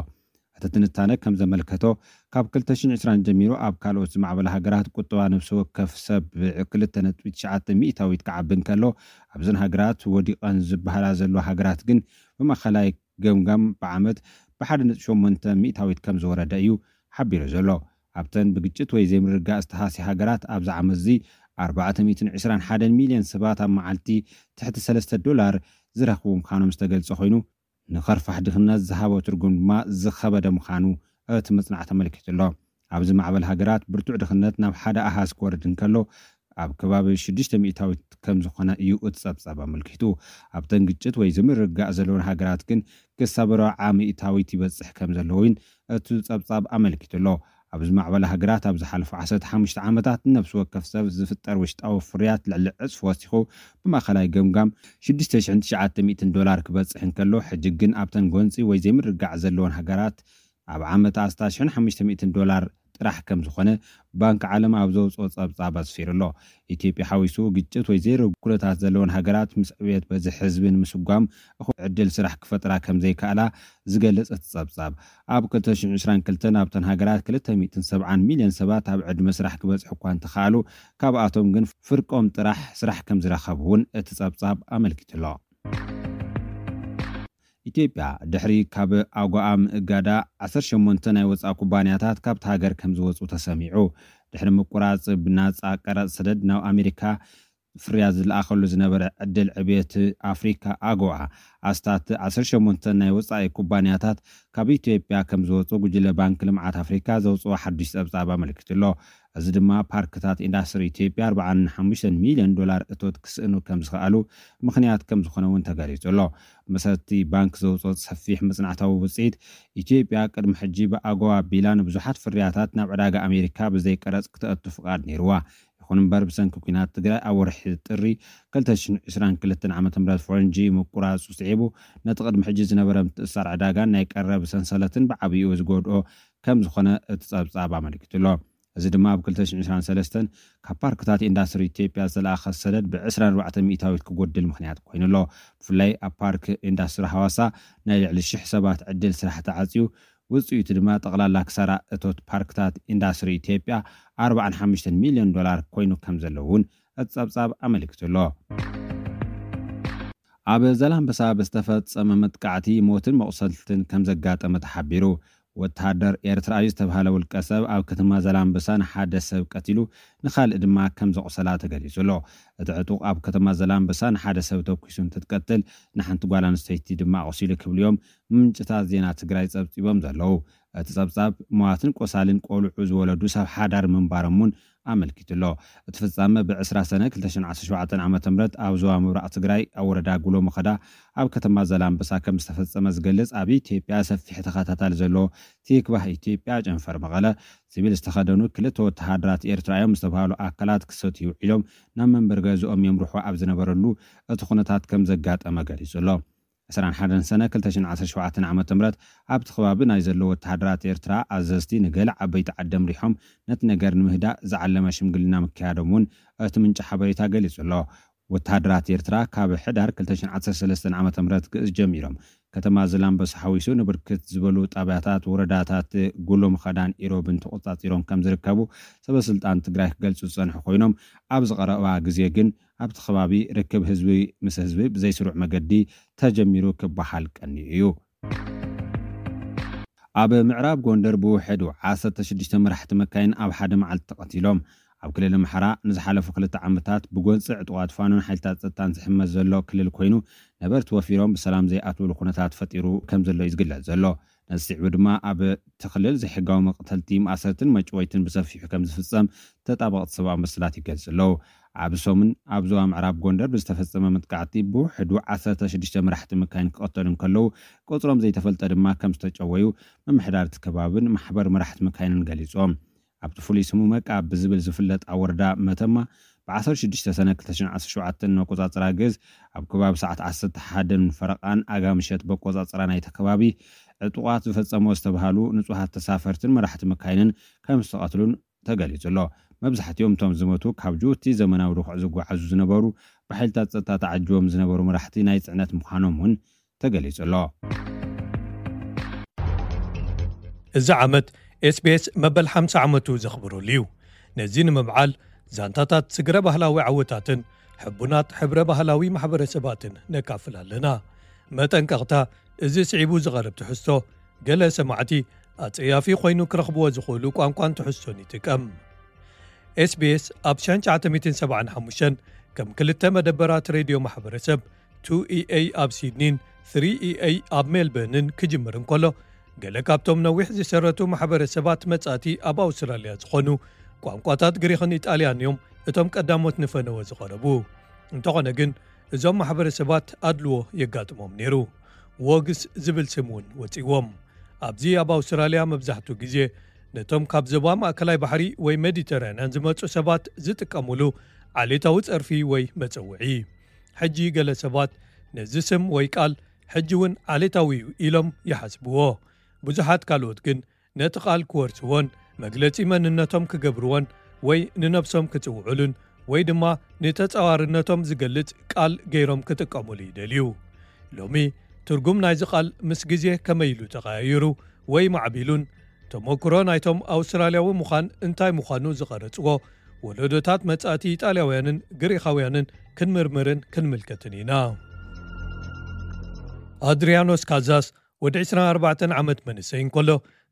እቲ ትንታነ ከም ዘመልከቶ፣ ካብ ክልተ ሽሕን ዕስራን ጀሚሩ ኣብ ካልኦት ዝማዕበላ ሃገራት ቁጠባ ነፍሲ ወከፍ ሰብ ብ2.2 ሚእታዊት ክዓቢ እንከሎ፣ ኣብዘን ሃገራት ወዲቐን ዝበሃላ ዘለዋ ሃገራት ግን ብማእኸላይ ገምጋም ብዓመት ብ1.8 ሚእታዊት ከም ዝወረደ እዩ ሓቢሩ ዘሎ። ኣብተን ብግጭት ወይ ዘይምርግጋእ ዝተሃስያ ሃገራት ኣብዚ ዓመት እዚ ኣርባዕተ ሚእትን ዕስራን ሓደን ሚልዮን ሰባት ኣብ መዓልቲ ትሕቲ ሰለስተ ዶላር ዝረኽቡ ምዃኖም ዝተገልጸ ኮይኑ፣ ንኸርፋሕ ድኽነት ዝሃቦ ትርጉም ድማ ዝኸበደ ምዃኑ እቲ መጽናዕቲ ኣመልኪቱ ኣሎ። ኣብ ዝማዕበላ ሃገራት ብርቱዕ ድኽነት ናብ ሓደ ኣሃዝ ክወርድ እንከሎ፣ ኣብ ከባቢ ሽዱሽተ ሚእታዊት ከም ዝኾነ እዩ እቲ ጸብጻብ ኣመልኪቱ። ኣብተን ግጭት ወይ ዝምርግጋእ ዘለወን ሃገራት ግን ክሳብ ርብዓ ሚእታዊት ይበጽሕ ከም ዘሎ እውን እቲ ጸብጻብ ኣመልኪቱ ኣሎ። ኣብ ዝማዕበላ ሃገራት ኣብ ዝሓለፉ ዓሰርተ ሓሙሽተ ዓመታት ንነፍሲ ወከፍ ሰብ ዝፍጠር ውሽጣዊ ፍርያት ልዕሊ ዕጽፊ ወሲኹ፣ ብማእኸላይ ገምጋም ሽዱሽተ ሽሕን ትሽዓተ ሚእትን ዶላር ክበጽሕ እንከሎ፣ ሕጂ ግን ኣብተን ጎንጺ ወይ ዘይምርግጋእ ዘለወን ሃገራት ኣብ ዓመት ኣስታት ሽሕን ሓሙሽተ ሚእትን ዶላር ጥራሕ ከም ዝኾነ ባንኪ ዓለም ኣብ ዘውፅኦ ጸብጻብ ኣስፊሩ ኣሎ። ኢትዮጵያ ሓዊሱ ግጭት ወይ ዘይርጉእ ኩነታት ዘለወን ሃገራት ምስ ዕብየት በዝሒ ህዝቢ ንምስጓም እኹል ዕድል ስራሕ ክፈጥራ ከም ዘይከኣላ ዝገልጽ እቲ ጸብጻብ፣ ኣብ ክልተ ሽሕን ዕስራን ክልተን ኣብተን ሃገራት ክልተ ሚእትን ሰብዓን ሚልዮን ሰባት ኣብ ዕድመ ስራሕ ክበጽሑ እኳ እንተኸኣሉ፣ ካብኣቶም ግን ፍርቆም ጥራሕ ስራሕ ከም ዝረኸቡ እውን እቲ ጸብጻብ ኣመልኪቱ ኣሎ። ኢትዮጵያ ድሕሪ ካብ ኣጎኣ ምእጋዳ ዓሰርተ ሸሞንተ ናይ ወጻኢ ኩባንያታት ካብቲ ሃገር ከም ዝወጹ ተሰሚዑ። ድሕሪ ምቁራጽ ብናጻ ቀረጽ ሰደድ ናብ ኣሜሪካ ፍርያት ዝለኣኸሉ ዝነበረ ዕድል ዕብየት ኣፍሪካ ኣጎኣ፣ ኣስታት ዓሰርተ ሸሞንተ ናይ ወጻኢ ኩባንያታት ካብ ኢትዮጵያ ከም ዝወጹ ጉጅለ ባንክ ልምዓት ኣፍሪካ ዘውጽኦ ሓዱሽ ጸብጻብ ኣመልኪቱ ኣሎ። እዚ ድማ ፓርክታት ኢንዳስትሪ ኢትዮጵያ ኣርባዓን ሓሙሽተን ሚልዮን ዶላር እቶት ክስእኑ ከም ዝኸኣሉ ምኽንያት ከም ዝኾነ እውን ተገሊጹ ኣሎ። መሰረቲ ባንክ ዘውፅኦ ሰፊሕ መጽናዕታዊ ውፅኢት፣ ኢትዮጵያ ቅድሚ ሕጂ ብኣጎዋ ቢላ ንብዙሓት ፍርያታት ናብ ዕዳጋ ኣሜሪካ ብዘይ ቀረጽ ክተእቱ ፍቓድ ነይርዋ። ይኹን እምበር ብሰንኪ ኲናት ትግራይ ኣብ ወርሒ ጥሪ ክልተ ሽሕን ዕስራን ክልተን ዓመተ ምህረት ፈረንጂ ምቁራጹ ስዒቡ፣ ነቲ ቅድሚ ሕጂ ዝነበረ ምትእስሳር ዕዳጋን ናይ ቀረብ ሰንሰለትን ብዓብይኡ ዝጎድኦ ከም ዝኾነ እቲ ጸብጻብ ኣመልኪቱ ኣሎ። እዚ ድማ ኣብ ክልተ ሽሕን ዕስራን ሰለስተን ካብ ፓርክታት ኢንዳስትሪ ኢትዮጵያ ዝተለኣኸ ሰደድ ብ ዕስራን ኣርባዕተን ሚእታዊት ክጎድል ምኽንያት ኮይኑ ኣሎ። ብፍላይ ኣብ ፓርክ ኢንዳስትሪ ሃዋሳ ናይ ልዕሊ ሽሕ ሰባት ዕድል ስራሕ ተዓፅዩ፣ ውፅኢቱ ድማ ጠቕላላ ክሳራ እቶት ፓርክታት ኢንዳስትሪ ኢትዮጵያ ኣርባዓን ሓሙሽተን ሚልዮን ዶላር ኮይኑ ከም ዘሎ እውን እቲ ጸብጻብ ኣመልኪቱ ኣሎ። ኣብ ዘላንበሳ ብዝተፈጸመ መጥቃዕቲ ሞትን መቑሰልትን ከም ዘጋጠመ ተሓቢሩ። ወተሃደር ኤርትራ እዩ ዝተባህለ ውልቀ ሰብ ኣብ ከተማ ዘላንበሳ ንሓደ ሰብ ቀቲሉ፣ ንኻልእ ድማ ከም ዘቑሰላ ተገሊጹ ኣሎ። እቲ ዕጡቕ ኣብ ከተማ ዘላንበሳ ንሓደ ሰብ ተኩሱ እንትትቀትል፣ ንሓንቲ ጓል ኣንስተይቲ ድማ ኣቑሲሉ ክብሉ እዮም ምንጭታት ዜና ትግራይ ጸብጺቦም ዘለዉ። እቲ ጸብጻብ፣ ሟትን ቆሳልን ቆልዑ ዝወለዱ ሰብ ሓዳር ምንባሮም እውን ኣመልኪቱ ኣሎ። እቲ ፍጻመ ብ ዕስራ ሰነ ክልተ ሽሕን ዓሰርተ ሸውዓተን ዓመተ ምህረት ኣብ ዞባ ምብራቕ ትግራይ ኣብ ወረዳ ጉሎ መኸዳ ኣብ ከተማ ዘላንበሳ ከም ዝተፈጸመ ዝገልጽ ኣብ ኢትዮጵያ ሰፊሕ ተኸታታሊ ዘለዎ ቲክቫህ ኢትዮጵያ ጨንፈር መቐለ፣ ሲቪል ዝተኸደኑ ክልተ ወተሃደራት ኤርትራ እዮም ዝተባህሉ ኣካላት ክሰትዩ ውዒሎም ናብ መንበሪ ገዝኦም የምርሑ ኣብ ዝነበረሉ እቲ ኩነታት ከም ዘጋጠመ ገሊጹ ኣሎ። ዕስራን ሓደን ሰነ ክልተ ሽሕን ዓሰርተ ሸውዓተን ዓመተ ምህረት ኣብቲ ከባቢ ናይ ዘለዉ ወተሃደራት ኤርትራ ኣዘዝቲ ንገለ ዓበይቲ ዓዲ ኣምሪሖም ነቲ ነገር ንምህዳእ ዝዓለመ ሽምግልና ምክያዶም እውን እቲ ምንጪ ሓበሬታ ገሊጹ ኣሎ። ወተሃደራት ኤርትራ ካብ ሕዳር ክልተ ሽሕን ዓሰርተ ሰለስተን ዓመተ ምህረት ግእዝ ጀሚሮም ከተማ ዘላንበሳ ሓዊሱ ንብርክት ዝበሉ ጣብያታት ወረዳታት ጉሎ ምኸዳን ኢሮብን ተቆጻጺሮም ከም ዝርከቡ ሰበ ስልጣን ትግራይ ክገልጹ ዝጸንሑ ኮይኖም፣ ኣብዚ ቀረባ ግዜ ግን ኣብቲ ከባቢ ርክብ ህዝቢ ምስ ህዝቢ ብዘይስሩዕ መገዲ ተጀሚሩ ክበሃል ቀንዩ እዩ። ኣብ ምዕራብ ጎንደር ብውሕዱ ዓሰርተ ሽዱሽተ መራሕቲ መካይን ኣብ ሓደ መዓልቲ ተቐቲሎም። ኣብ ክልል ኣምሓራ ንዝሓለፉ ክልተ ዓመታት ብጎንፂ ዕጡቓት ፋኖን ሓይልታት ጸጥታን ዝሕመስ ዘሎ ክልል ኮይኑ፣ ነበርቲ ወፊሮም ብሰላም ዘይኣትውሉ ኩነታት ፈጢሩ ከም ዘሎ እዩ ዝግለጽ ዘሎ። ነዚ ስዒቡ ድማ ኣብ እቲ ክልል ዘይሕጋዊ መቕተልቲ፣ ማእሰርትን መጭወይትን ብሰፊሑ ከም ዝፍጸም ተጣበቕቲ ሰብኣዊ መሰላት ይገልጹ ኣለዉ። ኣብ ሰሙን ኣብ ዞባ ምዕራብ ጎንደር ብዝተፈጸመ መጥቃዕቲ ብውሕዱ ዓሰርተ ሽዱሽተ መራሕቲ መካይን ክቐተሉ እንከለዉ፣ ቁጽሮም ዘይተፈልጠ ድማ ከም ዝተጨወዩ ምምሕዳር እቲ ከባብን ማሕበር መራሕቲ መካይንን ገሊጾም። ኣብቲ ፍሉይ ስሙ መቃ ብዝብል ዝፍለጥ ኣብ ወረዳ መተማ ብ ዓሰርተ ሽዱሽተ ሰነ ክልተ ሽሕን ዓሰርተ ሸውዓተን መቆጻጸራ ግእዝ ኣብ ከባቢ ሰዓት ዓሰርተ ሓደን ፈረቓን ኣጋ ምሸት በቆጻጸራ ናይቲ ከባቢ ዕጡቓት ዝፈጸሞ ዝተባሃሉ ንጹሃት ተሳፈርትን መራሕቲ መካይንን ከም ዝተቐትሉን ተገሊጹ ኣሎ። መብዛሕትኦም እቶም ዝሞቱ ካብ ጅቡቲ ዘመናዊ ድኹዕ ዝጓዓዙ ዝነበሩ፣ ብሓይልታት ጸጥታ ተዓጅቦም ዝነበሩ መራሕቲ ናይ ጽዕነት ምዃኖም እውን ተገሊጹ ኣሎ። እዚ ዓመት ኤስቢኤስ መበል ሓምሳ ዓመቱ ዘኽብረሉ እዩ። ነዚ ንምብዓል ዛንታታት ስግረ ባህላዊ ዓወታትን ሕቡናት ሕብረ ባህላዊ ማሕበረሰባትን ነካፍል ኣለና። መጠንቀቕታ፣ እዚ ስዒቡ ዝቐርብ ትሕዝቶ ገለ ሰማዕቲ ኣጸያፊ ኮይኑ ክረኽብዎ ዝኽእሉ ቋንቋን ትሕዝቶን ይጥቀም። ኤስቢኤስ ኣብ ሸንቻዓተሚትን ሰብዓን ሓሙሽተን ከም ክልተ መደበራት ሬድዮ ማሕበረሰብ ቱ ኢኤ ኣብ ሲድኒን ስሪ ኢኤ ኣብ ሜልበርንን ክጅምር እንከሎ፣ ገለ ካብቶም ነዊሕ ዝሰረቱ ማሕበረሰባት መጻእቲ ኣብ ኣውስትራልያ ዝኾኑ ቋንቋታት ግሪኽን ኢጣልያን እዮም እቶም ቀዳሞት ንፈነወ ዝቐረቡ። እንተኾነ ግን እዞም ማሕበረሰባት ኣድልዎ የጋጥሞም ነይሩ። ዎግስ ዝብል ስም እውን ወጺዎም። ኣብዚ ኣብ ኣውስትራልያ መብዛሕትኡ ግዜ ነቶም ካብ ዞባ ማእከላይ ባሕሪ ወይ ሜዲተራንያን ዝመጹ ሰባት ዝጥቀሙሉ ዓሌታዊ ጸርፊ ወይ መጸውዒ። ሕጂ ገለ ሰባት ነዚ ስም ወይ ቃል ሕጂ እውን ዓሌታዊ እዩ ኢሎም ይሓስብዎ። ብዙሓት ካልኦት ግን ነቲ ቃል ክወርስዎን መግለጺ መንነቶም ክገብርዎን ወይ ንነብሶም ክጽውዕሉን ወይ ድማ ንተጻዋርነቶም ዝገልጽ ቃል ገይሮም ክጥቀሙሉ ይደልዩ። ሎሚ ትርጉም ናይዚ ቃል ምስ ግዜ ከመይ ኢሉ ተቐያይሩ ወይ ማዕቢሉን ተመክሮ ናይቶም ኣውስትራልያዊ ምዃን እንታይ ምዃኑ ዝቐረጽዎ ወለዶታት መጻእቲ ኢጣልያውያንን ግሪኻውያንን ክንምርምርን ክንምልከትን ኢና። ኣድሪያኖስ ካዛስ ወዲ ዕስራን ኣርባዕተን ዓመት መንእሰይ እንከሎ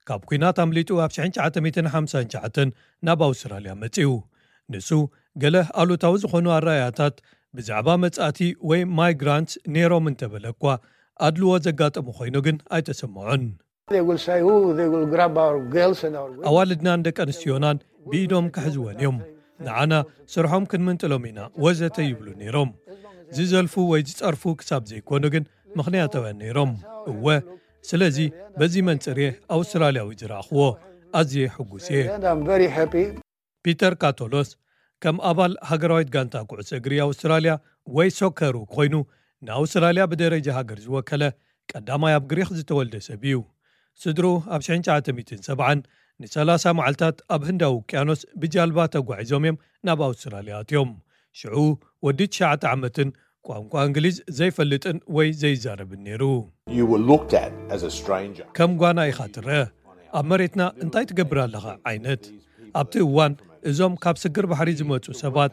ካብ ኲናት ኣምሊጡ ኣብ ሸሕን ትሽዓተ ሚእትን ሓምሳን ትሽዓተን ናብ ኣውስትራልያ መጺኡ። ንሱ ገለ ኣሉታዊ ዝኾኑ ኣረኣያታት ብዛዕባ መጻእቲ ወይ ማይግራንት ነይሮም እንተበለ እኳ ኣድልዎ ዘጋጠሙ ኮይኑ ግን ኣይተሰምዖን። They will say, oh, they will grab our girls and our women. ኣዋልድናን ደቂ ኣንስትዮናን ብኢዶም ክሕዝወን እዮም፣ ንዓና ስርሖም ክንምንጥሎም ኢና ወዘተ ይብሉ ነይሮም። ዝዘልፉ ወይ ዝጸርፉ ክሳብ ዘይኮኑ ግን ምኽንያታውያን ነይሮም። እወ፣ ስለዚ በዚ መንጽር እየ ኣውስትራልያዊ ዝረኣኽዎ። ኣዝየ ሕጉስ እየ። And I'm very happy. ፒተር ካቶሎስ ከም ኣባል ሃገራዊት ጋንታ ኩዕሶ እግሪ ኣውስትራልያ ወይ ሶከሩ ኮይኑ ንኣውስትራልያ ብደረጃ ሃገር ዝወከለ ቀዳማይ ኣብ ግሪኽ ዝተወልደ ሰብ እዩ። ስድርኡ ኣብ ሸሕን ትሽዓተ ሚእትን ሰብዓን ንሰላሳ መዓልታት ኣብ ህንዳዊ ውቅያኖስ ብጃልባ ተጓዒዞም እዮም ናብ ኣውስትራልያ ኣትዮም። ሽዑ ወዲ ትሽዓተ ዓመትን ቋንቋ እንግሊዝ ዘይፈልጥን ወይ ዘይዛረብን ነይሩ። You were looked at as a stranger. ከም ጓና ኢኻ ትረአ። ኣብ መሬትና እንታይ ትገብር ኣለኻ ዓይነት። ኣብቲ እዋን እዞም ካብ ስግር ባሕሪ ዝመጹ ሰባት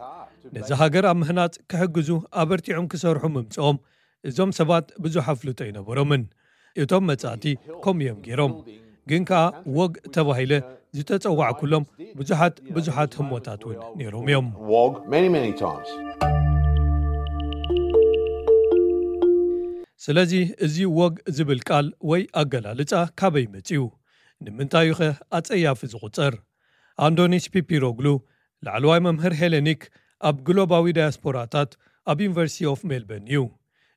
ነዚ ሃገር ኣብ ምህናጽ ክሕግዙ ኣበርቲዖም ክሰርሑ ምምጽኦም እዞም ሰባት ብዙሕ ኣፍልጦ ኣይነበሮምን። እቶም መጻእቲ ከምኡ እዮም ገይሮም። ግን ከኣ ወግ ተባሂለ ዝተጸዋዕኩሎም ብዙሓት ብዙሓት ህሞታት እውን ነይሮም እዮም። Wog many, many times. ስለዚ እዚ ወግ ዝብል ቃል ወይ ኣገላልጻ ካበይ መጺኡ? ንምንታይ እዩ ኸ ኣጸያፊ ዝቑጸር? ኣንዶኒስ ፒፒሮግሉ ላዕለዋይ መምህር ሄሌኒክ ኣብ ግሎባዊ ዳያስፖራታት ኣብ ዩኒቨርሲቲ ኦፍ ሜልበርን እዩ።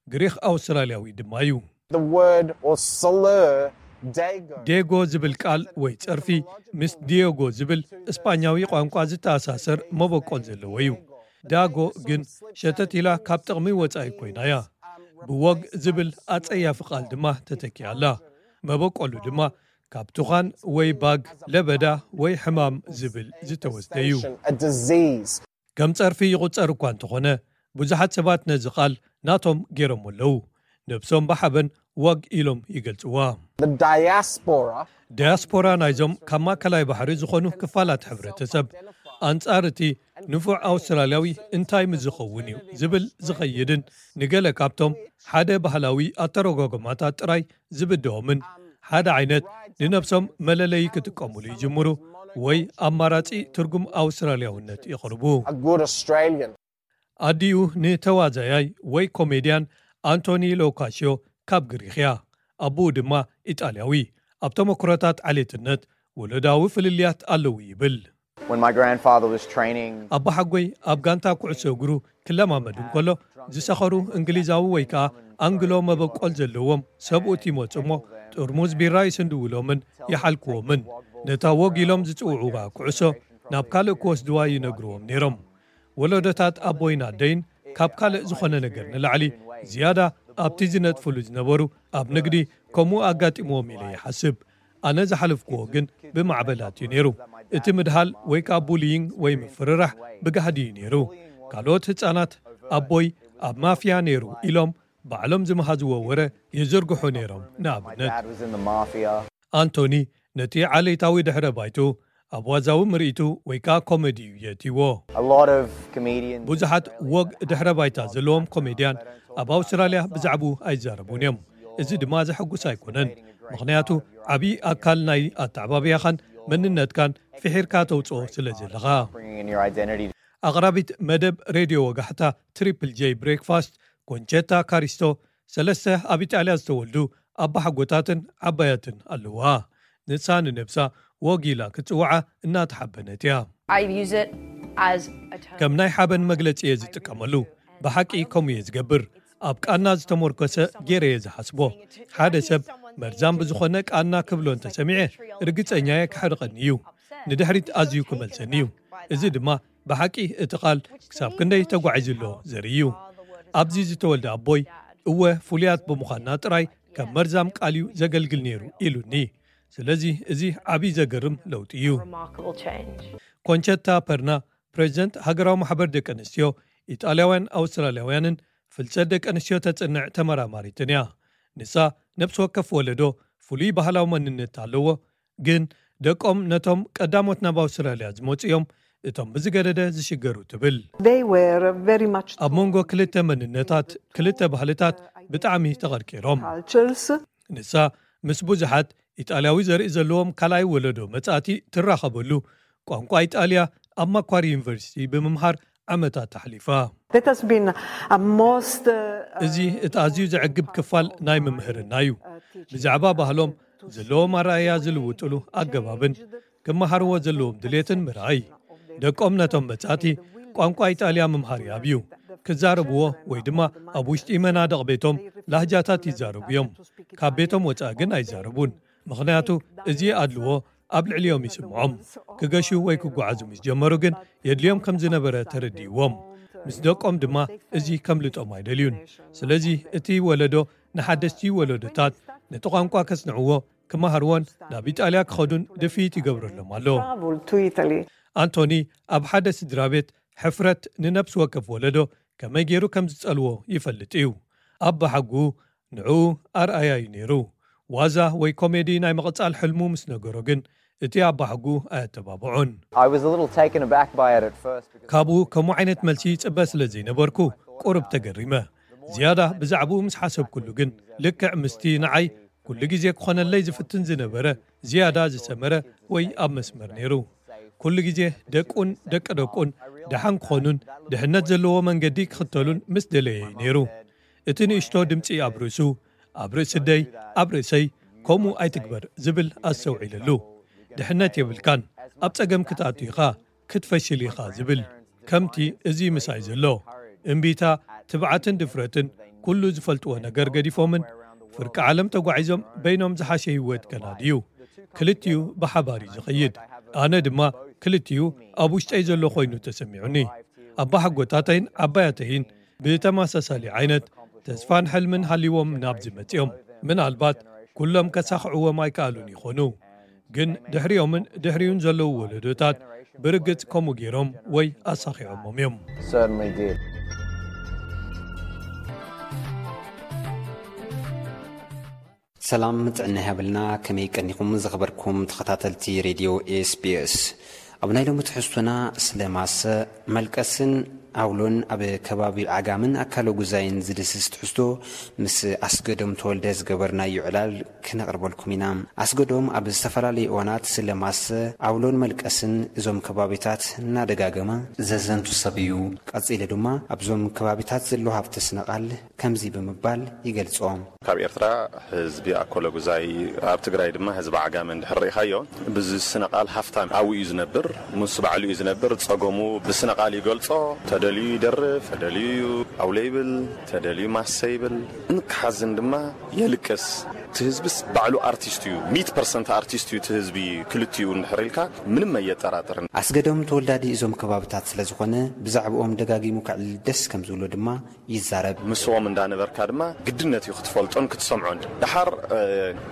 ግሪኽ ኣውስትራልያዊ ድማ እዩ። The word or slur, dago. ዴጎ ዝብል ቃል ወይ ጸርፊ ምስ ዲዮጎ ዝብል እስጳኛዊ ቋንቋ ዝተኣሳሰር መበቆል ዘለዎ እዩ። ዳጎ ግን ሸተት ኢላ ካብ ጥቕሚ ወጻኢ ኮይና እያ። ብወግ ዝብል ኣጸያፊ ቃል ድማ ተተኪኣ ኣላ። መበቆሉ ድማ ካብ ትዃን ወይ ባግ፣ ለበዳ ወይ ሕማም ዝብል ዝተወስደ እዩ። A disease. ከም ጸርፊ ይቑጸር እኳ እንተኾነ ብዙሓት ሰባት ነዚ ቃል ናቶም ገይሮም ኣለዉ። ነብሶም ብሓበን ወግ ኢሎም ይገልጽዋ። The diaspora. ዳያስፖራ ናይዞም ካብ ማእከላይ ባሕሪ ዝኾኑ ክፋላት ሕብረተሰብ ኣንጻር እቲ ንፉዕ ኣውስትራልያዊ እንታይ ምስ ዝኸውን እዩ ዝብል ዝኸይድን ንገለ ካብቶም ሓደ ባህላዊ ኣተረጓጎማታት ጥራይ ዝብድሆምን ሓደ ዓይነት ንነብሶም መለለዪ ክጥቀሙሉ ይጅምሩ ወይ ኣማራጺ ትርጉም ኣውስትራልያውነት የቕርቡ። A good Australian. ኣዲኡ ንተዋዛያይ ወይ ኮሜድያን ኣንቶኒ ሎካሽዮ ካብ ግሪኽ እያ። ኣቦኡ ድማ ኢጣልያዊ። ኣብ ተመክሮታት ዓሌትነት ወለዳዊ ፍልልያት ኣለዉ ይብል። When my grandfather was training, ኣቦሓጎይ ኣብ ጋንታ ኩዕሶ እግሩ ክለማመድ እንከሎ ዝሰኸሩ እንግሊዛዊ ወይ ከኣ ኣንግሎ መበቆል ዘለዎም ሰብኡት ይመጹ እሞ ጥርሙዝ ቢራ ይስንድውሎምን ይሓልክዎምን። ነታ ወግ ኢሎም ዝጽውዕዋ ኩዕሶ ናብ ካልእ ክወስድዋ ይነግርዎም ነይሮም። ወለዶታት ኣቦይን ኣደይን ካብ ካልእ ዝኾነ ነገር ንላዕሊ ዝያዳ ኣብቲ ዝነጥፍሉ ዝነበሩ ኣብ ንግዲ ከምኡ ኣጋጢምዎም ኢለ ይሓስብ። ኣነ ዝሓለፍክዎ ግን ብማዕበላት እዩ ነይሩ። እቲ ምድሃል ወይ ከዓ ቡሊይንግ ወይ ምፍርራሕ ብጋህዲ እዩ ነይሩ። ካልኦት ህፃናት ኣቦይ ኣብ ማፍያ ነይሩ ኢሎም ባዕሎም ዝመሃዝዎ ወረ ይዝርግሑ ነይሮም። ንኣብነት ኣንቶኒ ነቲ ዓሌታዊ ድሕረ ባይቱ ኣብ ዋዛዊ ምርኢቱ ወይ ከዓ ኮሜዲ እዩ የእትይዎ። ብዙሓት ወግ ድሕረ ባይታ ዘለዎም ኮሜድያን ኣብ ኣውስትራልያ ብዛዕባኡ ኣይዛረቡን እዮም። እዚ ድማ ዘሐጉስ ኣይኮነን፣ ምኽንያቱ ዓብዪ ኣካል ናይ ኣተዓባብያኻን መንነትካን ፍሒርካ ተውፅኦ ስለ ዘለኻ። ኣቕራቢት መደብ ሬድዮ ወጋሕታ ትሪፕል ጄይ ብሬክፋስት ኮንቸታ ካሪስቶ ሰለስተ ኣብ ኢጣልያ ዝተወልዱ ኣባሓጎታትን ዓባያትን ኣለዋ። ንሳ ንነብሳ ወግ ኢላ ክትፅውዓ እናተሓበነት እያ። ከም ናይ ሓበን መግለፂ እየ ዝጥቀመሉ። ብሓቂ ከምኡ እየ ዝገብር። ኣብ ቃና ዝተመርኮሰ ገይረ እየ ዝሓስቦ። ሓደ ሰብ መርዛም ብዝኾነ ቃና ክብሎ እንተሰሚዐ ርግፀኛ እየ ክሕርቐኒ እዩ። ንድሕሪት ኣዝዩ ክመልሰኒ እዩ። እዚ ድማ ብሓቂ እቲ ቃል ክሳብ ክንደይ ተጓዒዙ ኣሎ ዘርኢ እዩ። ኣብዚ ዝተወልደ ኣቦይ እወ ፍሉያት ብምዃንና ጥራይ ከም መርዛም ቃል እዩ ዘገልግል ነይሩ ኢሉኒ። ስለዚ እዚ ዓብዪ ዘገርም ለውጢ እዩ። ኮንቸታ ፐርና ፕሬዚደንት ሃገራዊ ማሕበር ደቂ ኣንስትዮ ኢጣልያውያን ኣውስትራልያውያንን ፍልሰት ደቂ ኣንስትዮ ተጽንዕ ተመራማሪትን እያ። ንሳ ነብሲ ወከፍ ወለዶ ፍሉይ ባህላዊ መንነት ኣለዎ፣ ግን ደቆም ነቶም ቀዳሞት ናብ ኣውስትራልያ ዝመጹ እዮም እቶም ብዝገደደ ዝሽገሩ ትብል። ኣብ መንጎ ክልተ መንነታት ክልተ ባህልታት ብጣዕሚ ተቐርቂሮም። ንሳ ምስ ብዙሓት ኢጣልያዊ ዘርኢ ዘለዎም ካልኣይ ወለዶ መጻእቲ ትራኸበሉ ቋንቋ ኢጣልያ ኣብ ማኳሪ ዩኒቨርሲቲ ብምምሃር ዓመታት ኣሕሊፋ። እዚ እቲ ኣዝዩ ዘዕግብ ክፋል ናይ ምምህርና እዩ። ብዛዕባ ባህሎም ዘለዎም ኣረኣእያ ዝልውጥሉ ኣገባብን ክመሃርዎ ዘለዎም ድሌትን ምርኣይ። ደቆም ነቶም መጻእቲ ቋንቋ ኢጣልያ ምምሃር ይኣብዩ። ክዛረብዎ ወይ ድማ ኣብ ውሽጢ መናድቕ ቤቶም ላህጃታት ይዛረቡ እዮም። ካብ ቤቶም ወጻኢ ግን ኣይዛረቡን። ምኽንያቱ እዚ ኣድልዎ ኣብ ልዕሊኦም ይስምዖም። ክገሹ ወይ ክጓዓዙ ምስ ጀመሩ ግን የድልዮም ከም ዝነበረ ተረዲእዎም። ምስ ደቆም ድማ እዚ ከምልጦም ኣይደልዩን። ስለዚ እቲ ወለዶ ንሓደስቲ ወለዶታት ነቲ ቋንቋ ከጽንዕዎ ክመሃርዎን ናብ ኢጣልያ ክኸዱን ድፍኢት ይገብረሎም ኣሎ። ኣንቶኒ ኣብ ሓደ ስድራ ቤት ሕፍረት ንነብሲ ወከፍ ወለዶ ከመይ ገይሩ ከም ዝጸልዎ ይፈልጥ እዩ። ኣባሓጉ ንዕኡ ኣርኣያ እዩ ነይሩ። ዋዛ ወይ ኮሜዲ ናይ ምቕጻል ሕልሙ ምስ ነገሮ ግን እቲ ኣባሓጉ ኣየተባብዖን። ካብኡ ከምኡ ዓይነት መልሲ ይጽበ ስለ ዘይነበርኩ ቁሩብ ተገሪመ። ዝያዳ ብዛዕባኡ ምስ ሓሰብኩሉ ግን ልክዕ ምስቲ ንዓይ ኩሉ ግዜ ክኾነለይ ዝፍትን ዝነበረ ዝያዳ ዝሰመረ ወይ ኣብ መስመር ነይሩ። ኩሉ ግዜ ደቁን ደቂ ደቁን ደሓን ክኾኑን ድሕነት ዘለዎ መንገዲ ክኽተሉን ምስ ደለየ እዩ ነይሩ። እቲ ንእሽቶ ድምጺ ኣብ ርእሱ፣ ኣብ ርእሲ ደይ፣ ኣብ ርእሰይ ከምኡ ኣይትግበር ዝብል ኣስተውዒለሉ። ድሕነት የብልካን፣ ኣብ ጸገም ክትኣቱ ኢኻ፣ ክትፈሽል ኢኻ ዝብል ከምቲ እዚ ምሳይ ዘሎ። እምቢታ፣ ትብዓትን ድፍረትን ኩሉ ዝፈልጥዎ ነገር ገዲፎምን ፍርቂ ዓለም ተጓዒዞም በይኖም ዝሓሸ ህይወት ከናድዩ። ክልቲኡ ብሓባር እዩ ዝኸይድ። ኣነ ድማ ክልቲኡ ኣብ ውሽጠይ ዘሎ ኮይኑ ተሰሚዑኒ። ኣባሓጎታተይን ዓባያተይን ብተመሳሳሊ ዓይነት ተስፋን ሕልምን ሃልይዎም ናብዚ መጺኦም። ምናልባት ኩሎም ከሳኽዕዎም ኣይከኣሉን ይኾኑ። ግን ድሕሪኦምን ድሕሪኡን ዘለዉ ወለዶታት ብርግጽ ከምኡ ገይሮም ወይ ኣሳኺዖሞም እዮም። ሰላም ጥዕና ይሃበልና። ከመይ ቀኒኹም ዝኸበርኩም ተኸታተልቲ ሬድዮ ኤስቢኤስ? ኣብ ናይ ሎሚ ትሕዝቶና ስለ ማሰ፣ መልቀስን ኣውሎን ኣብ ከባቢ ዓጋምን ኣካለ ጉዛይን ዝድስስ ትሕዝቶ ምስ ኣስገዶም ተወልደ ዝገበርናዮ ዕላል ክነቕርበልኩም ኢና። ኣስገዶም ኣብ ዝተፈላለዩ እዋናት ስለ ማሰ፣ ኣውሎን መልቀስን እዞም ከባቢታት እናደጋገመ ዘዘንቱ ሰብ እዩ። ቀጺሉ ድማ ኣብዞም ከባቢታት ዘሎ ሃብቲ ስነ ቃል ከምዚ ብምባል ይገልጾ። ካብ ኤርትራ ህዝቢ ኣኮለጉዛይ፣ ኣብ ትግራይ ድማ ህዝቢ ዓጋመ እንድሕር ርኢኻዮ፣ ብዚ ስነ ቃል ሃፍታም ኣብኡ እዩ ዝነብር። ምስ ባዕሉ እዩ ዝነብር። ጸገሙ ብስነ ቃል ይገልጾ። ተደልዩ ይደርፍ፣ ተደልዩ ኣውለ ይብል፣ ተደልዩ ማሰ ይብል። እንክሓዝን ድማ የልቅስ። እቲ ህዝብስ ባዕሉ ኣርቲስት እዩ፣ ሚት ፐርሰንት ኣርቲስት እዩ እቲ ህዝቢ። ክልቲኡ እንድሕር ኢልካ ምንም ኣየጠራጥርን። ኣስገዶም ተወላዲ እዞም ከባብታት ስለ ዝኾነ ብዛዕብኦም ደጋጊሙ ከዕልል ደስ ከም ዝብሎ ድማ ይዛረብ። ምስኦም እንዳነበርካ ድማ ግድነት እዩ ክትፈልጦን ክትሰምዖን። ደሓር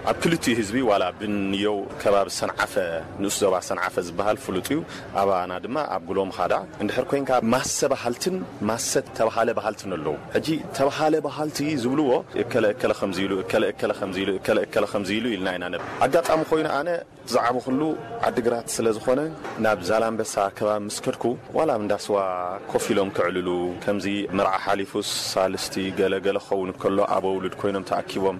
ኣብ ክልቲኡ ህዝቢ ዋላ ብንየው ከባቢ ሰንዓፈ፣ ንኡስ ዞባ ሰንዓፈ ዝበሃል ፍሉጥ እዩ። ኣባና ድማ ኣብ ጉሎም ኻዳ እንድሕር ኮይንካ ማሰ በሃልትን ማሰ ተባሃለ በሃልትን ኣለዉ። ሕጂ ተባሃለ በሃልቲ ዝብልዎ እከለ እከለ ከምዚ ኢሉ፣ እከለ እከለ ከምዚ ኢሉ፣ እከለ እከለ ከምዚ ኢሉ ኢልና ኢና ነብ ኣጋጣሚ ኮይኑ ኣነ ዝዓበኹሉ ዓዲግራት ስለ ዝኾነ ናብ ዛላምበሳ ከባቢ ምስ ከድኩ ዋላ ኣብ እንዳስዋ ኮፍ ኢሎም ክዕልሉ ከምዚ መርዓ ሓሊፉስ ሳልስቲ ገለ ገለ ክኸውን ከሎ ኣበውልድ ኮይኖም ተኣኪቦም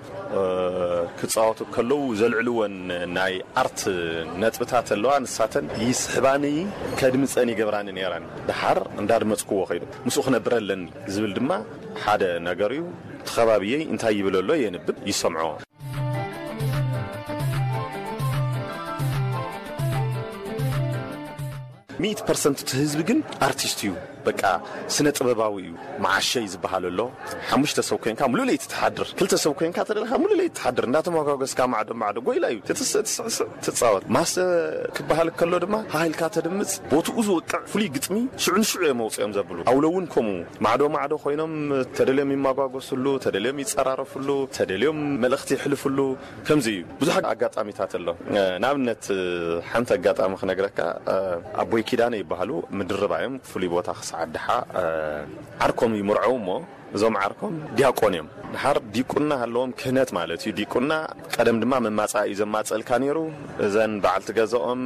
ክጻወቱ ከለዉ ዘልዕልወን ናይ ኣርት ነጥብታት ኣለዋ። ንሳተን ይስሕባኒ ከድምጸን ይገብራኒ ነይረን። ደሓር እንዳድመጽክዎ ከይዱ ምስኡ ክነብር ኣለኒ ዝብል ድማ ሓደ ነገር እዩ። እቲ ከባብየይ እንታይ ይብል ኣሎ የንብብ ይሰምዖ። ሚት ፐርሰንት እቲ ህዝቢ ግን ኣርቲስት እዩ። በቃ ስነ ጥበባዊ እዩ። መዓሸይ ዝበሃል ኣሎ። ሓሙሽተ ሰብ ኮይንካ ሙሉ ለይቲ ትሓድር፣ ክልተ ሰብ ኮይንካ ተደለካ ሙሉ ለይቲ ትሓድር። እንዳተመጓገስካ ማዕዶ ማዕዶ ጎይላ እዩ። ትትስእ ትስዕስዕ ትጻወት። ማሰ ክበሃል ከሎ ድማ ሃሃ ኢልካ ተድምጽ፣ ቦትኡ ዝወቅዕ ፍሉይ ግጥሚ ሽዑ ንሽዑ እዮም መውጽኦም ዘብሉ። ኣውሎ እውን ከምኡ ማዕዶ ማዕዶ ኮይኖም ተደልዮም ይመጓገስሉ፣ ተደልዮም ይጸራረፍሉ፣ ተደልዮም መልእኽቲ ይሕልፍሉ። ከምዚ እዩ ብዙሕ ኣጋጣሚታት ኣሎ። ንኣብነት ሓንቲ ኣጋጣሚ ክነግረካ፣ ኣቦይ ኪዳነ ይበሃሉ፣ ምድርባ እዮም። ፍሉይ ቦታ ክሳዕ ኣድሓ ዓርኮም ይምርዐው እሞ እዞም ዓርኮም ዲያቆን እዮም። ድሓር ዲቁና ኣለዎም፣ ክህነት ማለት እዩ። ዲቁና ቀደም ድማ መማፃእ እዩ ዘማፀልካ ነይሩ። እዘን በዓልቲ ገዛኦም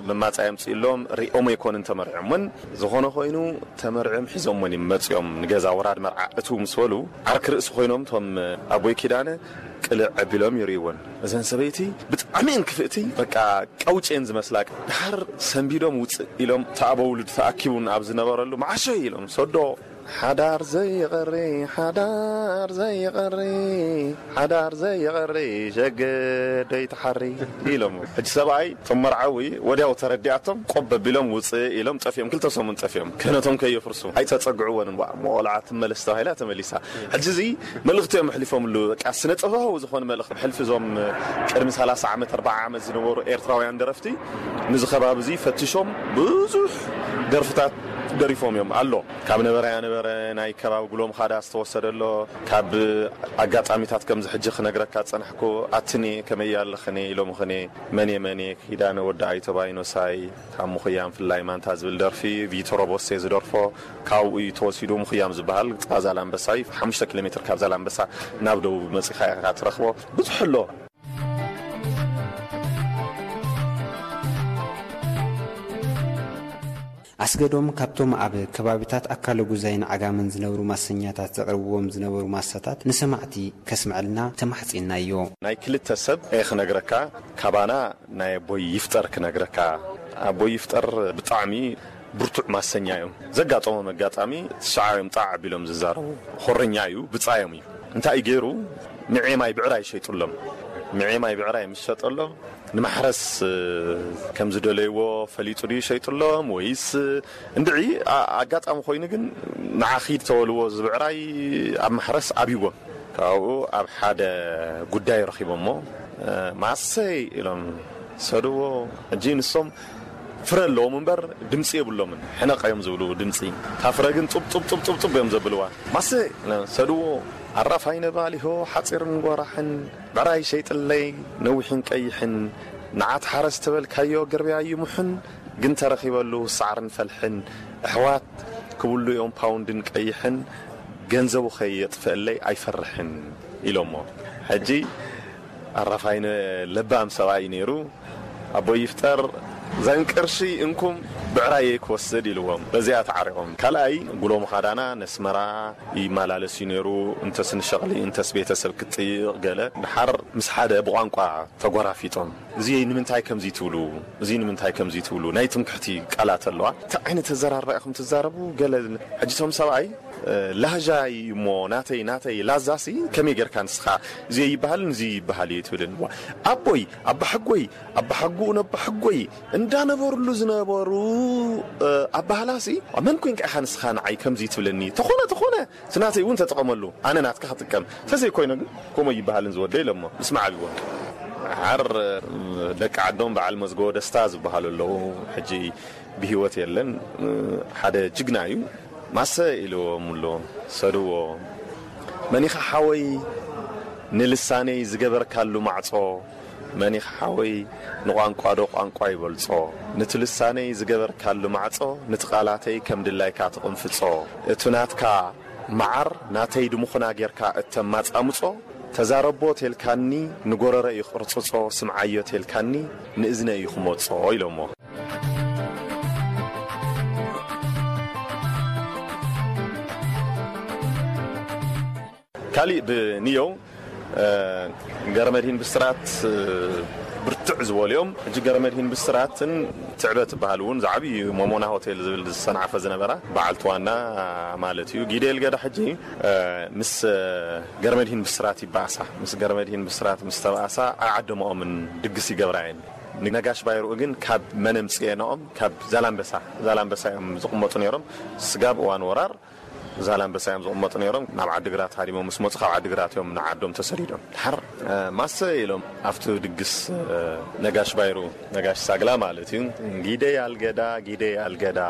መማፃእ የምፅእሎም፣ ሪኦም ኣይኮንን ተመርዖምን። ዝኾነ ኮይኑ ተመርዕም ሒዞምወን እዮም መፅኦም ንገዛ ወራድ መርዓ እትው ምስ በሉ ዓርኪ ርእሲ ኮይኖም እቶም ኣቦይ ኪዳነ ቅልዕ ኣቢሎም ይርእይወን። እዘን ሰበይቲ ብጣዕሚ እየን ክፍእቲ፣ በቃ ቀውጭ እየን ዝመስላ። ድሓር ሰንቢዶም ውፅእ ኢሎም እቲ ኣበ ውሉድ ተኣኪቡን ኣብ ዝነበረሉ መዓሸ ኢሎም ሰዶ ሓዳር ዘይቐሪ ሓዳር ዘይቐሪ ሓዳር ዘይቐሪ ሸገደይ ትሓሪ ኢሎም። ሕጂ ሰብኣይ እቶም መርዓዊ ወዲያው ተረዲኣቶም ቆብ ኣቢሎም ውፅእ ኢሎም ጠፊኦም። ክልተ ሰሙን ጠፊኦም ክህነቶም ከየፍርሱ ኣይተፀግዕዎን። ዋ እሞ ቆልዓ ትመለስ ተባሂላ ተመሊሳ። ሕጂ እዚ መልእኽቲ እዮም ኣሕሊፎምሉ። በቃ ስነ ጥበባዊ ዝኾነ መልእኽቲ ሕልፊ እዞም ቅድሚ ሰላሳ ዓመት ኣርባዓ ዓመት ዝነበሩ ኤርትራውያን ደረፍቲ ንዚ ከባቢ እዚ ፈቲሾም ብዙሕ ደርፍታት ደሪፎም እዮም ኣሎ። ካብ ነበረ ኣነበረ ናይ ከባቢ ጉሎም ኻዳ ዝተወሰደ ኣሎ። ካብ ኣጋጣሚታት ከምዚ ሕጂ ክነግረካ ዝጸናሕኩ ኣትኔ ከመይ ኣለኽኔ ኢሎምኽኔ መኔ መኔ ኪዳነ ወዲ ኣይቶባይኖሳይ ካብ ምኹያም ፍላይ ማንታ ዝብል ደርፊ ቪቶሮ ቦሴ ዝደርፎ ካብኡ እዩ ተወሲዱ። ምኹያም ዝበሃል ጥቓ ዛላምበሳ እዩ። ሓሙሽተ ኪሎ ሜትር ካብ ዛላምበሳ ናብ ደቡብ መጺኻ ኢኻ ትረኽቦ። ብዙሕ ኣሎ። ኣስገዶም ካብቶም ኣብ ከባቢታት ኣካለ ጉዛይን ዓጋመን ዝነብሩ ማሰኛታት ዘቕርብዎም ዝነበሩ ማሳታት ንሰማዕቲ ከስምዐልና ተማሕጺንናዮ። ናይ ክልተ ሰብ እየ ክነግረካ፣ ካባና ናይ ኣቦይ ይፍጠር ክነግረካ። ኣቦይ ይፍጠር ብጣዕሚ ብርቱዕ ማሰኛ እዮም። ዘጋጠሞም ኣጋጣሚ ትሽዓ እዮም ጣዕ ኣቢሎም ዝዛረቡ። ኾረኛ እዩ፣ ብጻዮም እዩ። እንታይ እዩ ገይሩ? ምዔ ማይ ብዕራይ ሸይጡሎም። ምዔ ማይ ብዕራይ ምስ ሸጠሎም ንማሕረስ ከም ዝደለይዎ ፈሊጡ ድዩ ሸይጡሎም ወይስ እንድዒ ኣጋጣሚ ኮይኑ ግን ንዓ ኺድ ተበልዎ ዝብዕራይ ኣብ ማሕረስ ኣብይዎም ካብኡ ኣብ ሓደ ጉዳይ ረኺቦሞ ማሰይ ኢሎም ሰድዎ። ሕጂ ንሶም ፍረ ኣለዎም እምበር ድምፂ የብሎምን። ሕነቕ እዮም ዝብሉ ድምፂ። እታ ፍረ ግን ጡብ ጡብ ጡብ ጡብ ጡብ እዮም ዘብልዋ። ማሰ ሰድዎ ኣራፋይ ነባሊሆ ሓፂርን ጓራሕን ብዕራይ ሸይጥለይ ነዊሕን ቀይሕን ንዓት ሓረስ ተበልካዮ ገርብያ ይሙሕን ግን ተረኺበሉ ሳዕርን ፈልሕን ኣሕዋት ክብሉ እዮም ፓውንድን ቀይሕን ገንዘቡ ከየጥፍአለይ ኣይፈርሕን ኢሎሞ። ሕጂ ኣራፋይነ ለባም ሰብኣይ ነይሩ። ኣቦ ይፍጠር ዘን ቅርሺ እንኩም ብዕራየይ ክወስድ ኢልዎም። በዚኣ ተዓሪቖም። ካልኣይ ጉሎ ምኻዳና ነስመራ ይመላለስ እዩ ነይሩ። እንተስ ንሸቕሊ እንተስ ቤተሰብ ክትጥይቕ ገለ ድሓር ምስ ሓደ ብቋንቋ ተጎራፊጦም። እዚ ንምንታይ ከምዚ ትብሉ? እዚ ንምንታይ ከምዚ ትብሉ? ናይ ትምክሕቲ ቃላት ኣለዋ። እንታይ ዓይነት ኣዘራርባ ኢኹም ትዛረቡ? ገለ ሕጂ እቶም ሰብኣይ ላህጃ እዩ እሞ ናተይ ናተይ ላዛሲ ከመይ ጌርካ ንስኻ እዚ ይበሃልን እዚ ይበሃል እዩ ትብልን? ዋ፣ ኣቦይ ኣባሓጎይ ኣባሓጎኡ ነባሓጎይ እንዳነበርሉ ዝነበሩ ኣባህላሲ፣ መን ኮንካ ኢኻ ንስኻ ንዓይ ከምዚ ትብለኒ? ተኾነ ተኾነ እቲ ናተይ እውን ተጠቐመሉ፣ ኣነ ናትካ ክጥቀም። ተዘይኮይኑ ግን ከምኡ ይበሃልን ዝወደ ኢሎሞ ምስ መዓብዎ። ሓር ደቂ ዓዶም በዓል መዝገቦ ደስታ ዝበሃሉ ኣለዉ። ሕጂ ብህይወት የለን። ሓደ ጅግና እዩ። ማሰ ኢልዎም ኣሎ፣ ሰድዎ። መኒኻ ሓወይ ንልሳነይ ዝገበርካሉ ማዕጾ፣ መኒኻ ሓወይ ንቋንቋ ዶ ቋንቋ ይበልጾ? ንቲ ልሳነይ ዝገበርካሉ ማዕጾ፣ ንቲ ቃላተይ ከም ድላይካ ትቕንፍጾ። እቱ ናትካ መዓር ናተይ ድምኹና ጌርካ እተማጻምጾ፣ ተዛረቦ ቴልካኒ ንጎረረ እዩ ክቕርጽጾ፣ ስምዓዮ ቴልካኒ ንእዝነ እዩ ክመጾ ኢሎሞ። ካሊእ ብንየው ገረመድሂን ብስራት ብርትዕ ዝበሉ እዮም። ሕጂ ገረመድሂን ብስራትን ትዕበ ትበሃል እውን ዝዓብዩ ሞሞና ሆቴል ዝብል ዝሰንዓፈ ዝነበራ በዓልቲ ዋና ማለት እዩ። ጊደል ገዳ ሕጂ ምስ ገረመድሂን ብስራት ይበኣሳ። ምስ ገረመድሂን ብስራት ምስ ተበኣሳ ኣይዓደመኦምን፣ ድግስ ይገብራ እየን። ንነጋሽ ባይርኡ ግን ካብ መነምፅኤናኦም ካብ ዛላምበሳ ዛላምበሳ እዮም ዝቕመጡ ነይሮም። ስጋብ እዋን ወራር ዛላምበሳ እዮም ዝቕመጡ ነይሮም። ናብ ዓዲግራት ሃዲሞም ምስ መፁ ካብ ዓዲግራት እዮም ንዓዶም ተሰዲዶም። ድሓር ማሰ ኢሎም ኣብቲ ድግስ ነጋሽ ባይሩ፣ ነጋሽ ሳግላ ማለት እዩ። ጊደይ ኣልገዳ ጊደይ ኣልገዳ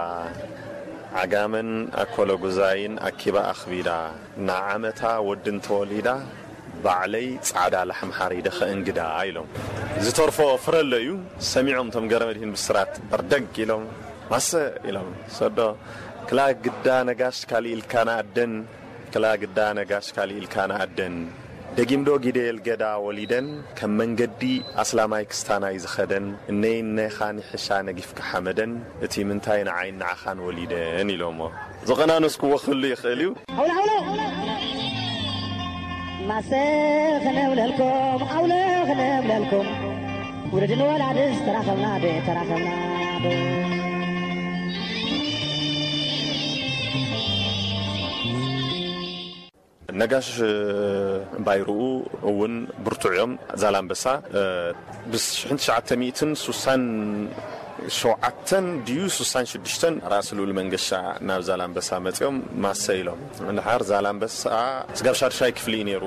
ዓጋመን ኣኮለጉዛይን ኣኪባ ኣኽቢዳ፣ ንዓመታ ወዲ እንተወሊዳ ባዕለይ ጻዕዳ ላሕሚ ሓሪደ ከእንግዳ ኢሎም። ዝተርፎ ፍረ ኣሎ እዩ። ሰሚዖም እቶም ገረመድሂን ብስራት በርደግ ኢሎም፣ ማሰ ኢሎም፣ ሰዶ ክላ ግዳ ነጋሽ ካሊእ ኢልካ ንኣደን፣ ክላ ግዳ ነጋሽ ካሊእ ኢልካ ንኣደን፣ ደጊምዶ ጊደየል ገዳ ወሊደን፣ ከም መንገዲ ኣስላማይ ክስታናይ ዝኸደን፣ እነይ እነኻ ንሕሻ ነጊፍካ ሓመደን፣ እቲ ምንታይ ንዓይን ንዓኻን ወሊደን ኢሎሞ። ዘቐናነስክዎ ክህሉ ይኽእል እዩ። ኣውሎ ኣውሎ ማሰ ክነብለልኩም ኣውሎ ክነብለልኩም ውሉድን ወላድስ ተራኸብና ዶ ተራኸብና ዶ። ነጋሽ ባይርኡ እውን ብርቱዕ እዮም። ዛላምበሳ ብሽሕን ትሽዓተ ሚእትን ሱሳን ሸውዓተን ድዩ ሱሳን ሽዱሽተን ራእሲ ልኡል መንገሻ ናብ ዛላምበሳ መጺኦም ማሰ ኢሎም። እንድሓር ዛላምበሳ ስጋብ ሻድሻይ ክፍሊ እዩ ነይሩ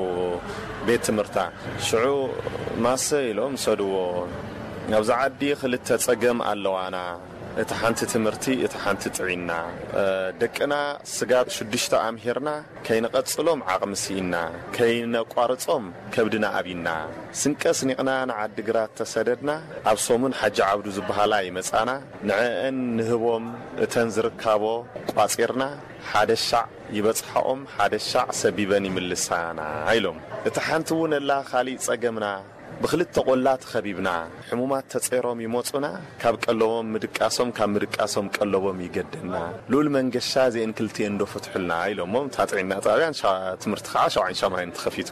ቤት ትምህርታ። ሽዑ ማሰ ኢሎም ሰድዎ። ኣብዚ ዓዲ ክልተ ጸገም ኣለዋና። እቲ ሓንቲ ትምህርቲ፣ እቲ ሓንቲ ጥዒና። ደቅና ስጋብ ሽዱሽተ ኣምሂርና ከይንቐጽሎም ዓቕሚ ስኢና፣ ከይነቋርጾም ከብድና ኣቢና። ስንቀ ስኒቕና ንዓዲግራት ተሰደድና። ኣብ ሰሙን ሓጂ ዓብዱ ዝበሃላ ይመጻና። ንዕአን ንህቦም እተን ዝርካቦ ቋጺርና። ሓደ ሻዕ ይበጽሓኦም፣ ሓደ ሻዕ ሰቢበን ይምልሳና ኢሎም። እታ ሓንቲ እውን እላ ካሊእ ጸገምና። ብኽልተ ቆላ ተኸቢብና፣ ሕሙማት ተጸይሮም ይመጹና፣ ካብ ቀለቦም ምድቃሶም፣ ካብ ምድቃሶም ቀለቦም ይገደና። ልኡል መንገሻ እዚኤን ክልቲኤን ዶ ፍትሑልና ኢሎሞም፣ እታ ጥዕና ጣብያን ሻ-፣ ትምህርቲ ከዓ ሸውዓይን ሻምናይን ተኸፊቱ።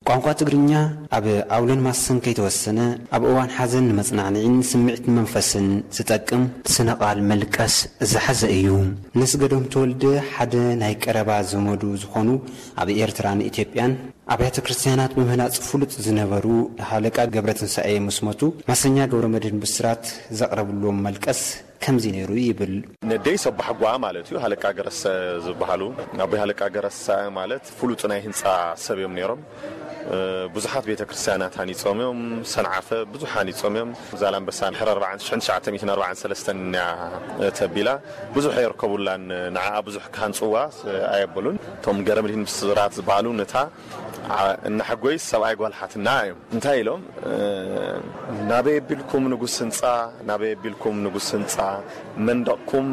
ቋንቋ ትግርኛ ኣብ ኣውሎን ማሰን ከይተወሰነ፣ ኣብ እዋን ሓዘን ንመጽናዕንዒን ስምዒት ንመንፈስን ዝጠቅም ስነ-ቃል መልቀስ ዝሓዘ እዩ። ንስገዶም ተወልደ ሓደ ናይ ቀረባ ዘመዱ ዝኾኑ፣ ኣብ ኤርትራን ኢትዮጵያን ኣብያተ ክርስትያናት ብምህናጽ ፍሉጥ ዝነበሩ ሃለቃ ገብረትንሳኤ ምስ ሞቱ፣ ማሰኛ ገብረመድህን ብስራት ዘቕረብሎም መልቀስ ከምዚ ነይሩ ይብል። ነደይ ሰባሕጓ ማለት እዩ። ሃለቃ ገረሰ ዝበሃሉ፣ ኣቦይ ሃለቃ ገረሰ ማለት ፍሉጥ ናይ ህንጻ ሰብ እዮም ነይሮም። እ፣ ብዙሓት ቤተ ክርስቲያናት ሃኒጾም እዮም። ሰንዓፈ ብዙሕ ሃኒጾም እዮም። ዛላምበሳ ድሕሪ ኣርባዓን፣ ሽሕን ትሽዓተ ሚእትን ኣርባዓን ሰለስተን እያ ተቢላ። ብዙሕ የርከቡላን፣ ንዓኣ ብዙሕ ክሃንጽዋ ኣየበሉን። እቶም ገረመድሂን ብስራት ዝበሃሉ ነታ ዓ-፣ እናሓጎይ ሰብኣይ ጓል ሓትና እዮም። እንታይ ኢሎም? እ፣ ናበይ ኣቢልኩም ንጉስ ህንጻ፣ ናበይ ኣቢልኩም ንጉስ ህንጻ፣ መንደቕኩም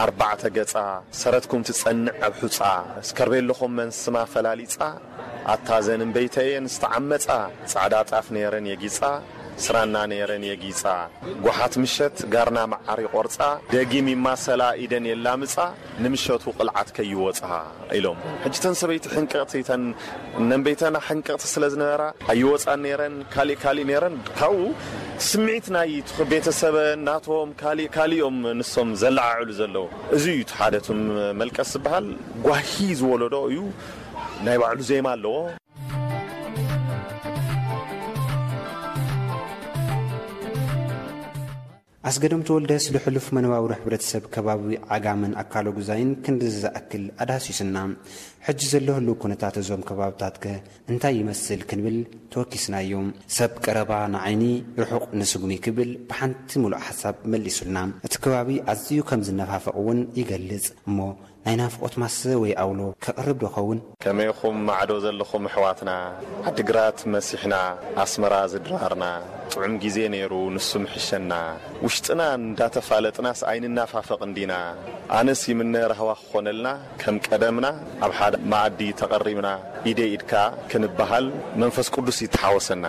ኣርባዕተ ገጻ፣ ሰረትኩም ትጸንዕ ኣብ ሑጻ፣ እስከርቤሎኹም መን ስማ ፈላሊጻ፣ ኣታ ዘን እምበይተየን ዝተዓመጻ፣ ጻዕዳ ጣፍ ነይረን የጊጻ፣ ስራና ነይረን የጊጻ፣ ጓሓት ምሸት ጋርና መዓር ይቆርጻ፣ ደጊም ይማሰላ ኢደን የላምጻ፣ ንምሸቱ ቅልዓት ከይወጻ ኢሎም። ሕጂ ተን ሰበይቲ ሕንቅቕቲ፣ ተን ነንበይተና ሕንቅቕቲ ስለ ዝነበራ ኣይወጻን ነይረን፣ ካሊእ ካሊእ ነይረን። ካብኡ ስምዒት ናይ ቤተሰበን ናቶም ካሊእ ካሊኦም ንሶም ዘለዓዕሉ ዘለዉ። እዚ እዩ እቲ ሓደ እቶም መልቀስ ዝበሃል። ጓሂ ዝወለዶ እዩ። ናይ ባዕሉ ዜማ ኣለዎ። ኣስገዶም ተወልደስ ልሕሉፍ መነባብሮ ሕብረተሰብ ከባቢ ዓጋመን ኣካለ ጉዛይን ክንድዚ ዝኣክል ኣዳህሲስና። ሕጂ ዘሎ ህልው ኩነታት እዞም ከባብታት ከ እንታይ ይመስል ክንብል ተወኪስናዮ። ሰብ ቀረባ ንዓይኒ ርሑቕ ንስጉሚ ክብል ብሓንቲ ሙሉእ ሓሳብ መሊሱልና። እቲ ከባቢ ኣዝዩ ከም ዝነፋፈቕ እውን ይገልጽ። እሞ ናይ ናፍቖት ማሰ ወይ ኣውሎ ከቕርብ ዶ ኸውን? ከመይኹም ማዕዶ ዘለኹም ኣሕዋትና? ዓዲግራት መሲሕና ኣስመራ ዝድራርና ጥዑም ግዜ ነይሩ ንሱ ምሕሸና። ውሽጥና እንዳተፋለጥናስ ኣይንናፋፈቕን ዲና? ኣነስ ይምነ ራህዋ ክኾነልና ከም ቀደምና ኣብ ሓደ መኣዲ ተቐሪብና ኢደይ ኢድካ ክንበሃል መንፈስ ቅዱስ ይተሓወሰና።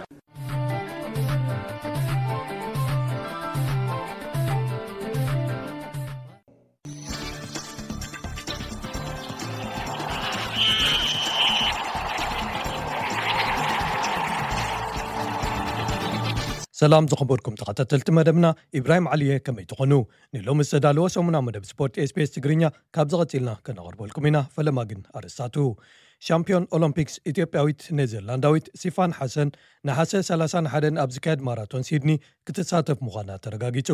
ሰላም ዝኸበርኩም ተኸታተልቲ መደብና፣ ኢብራሂም ዓሊየ ከመይ ትኾኑ? ንሎሚ ዝተዳለወ ሰሙና መደብ ስፖርት ኤስቢኤስ ትግርኛ ካብዚ ቀጺልና ከነቕርበልኩም ኢና። ፈለማ ግን ኣርእስታቱ። ሻምፒዮን ኦሎምፒክስ ኢትዮጵያዊት ኔዘርላንዳዊት ሲፋን ሓሰን ነሓሰ ሰላሳን ሓደን ኣብ ዝካየድ ማራቶን ሲድኒ ክትሳተፍ ምዃና ተረጋጊጹ።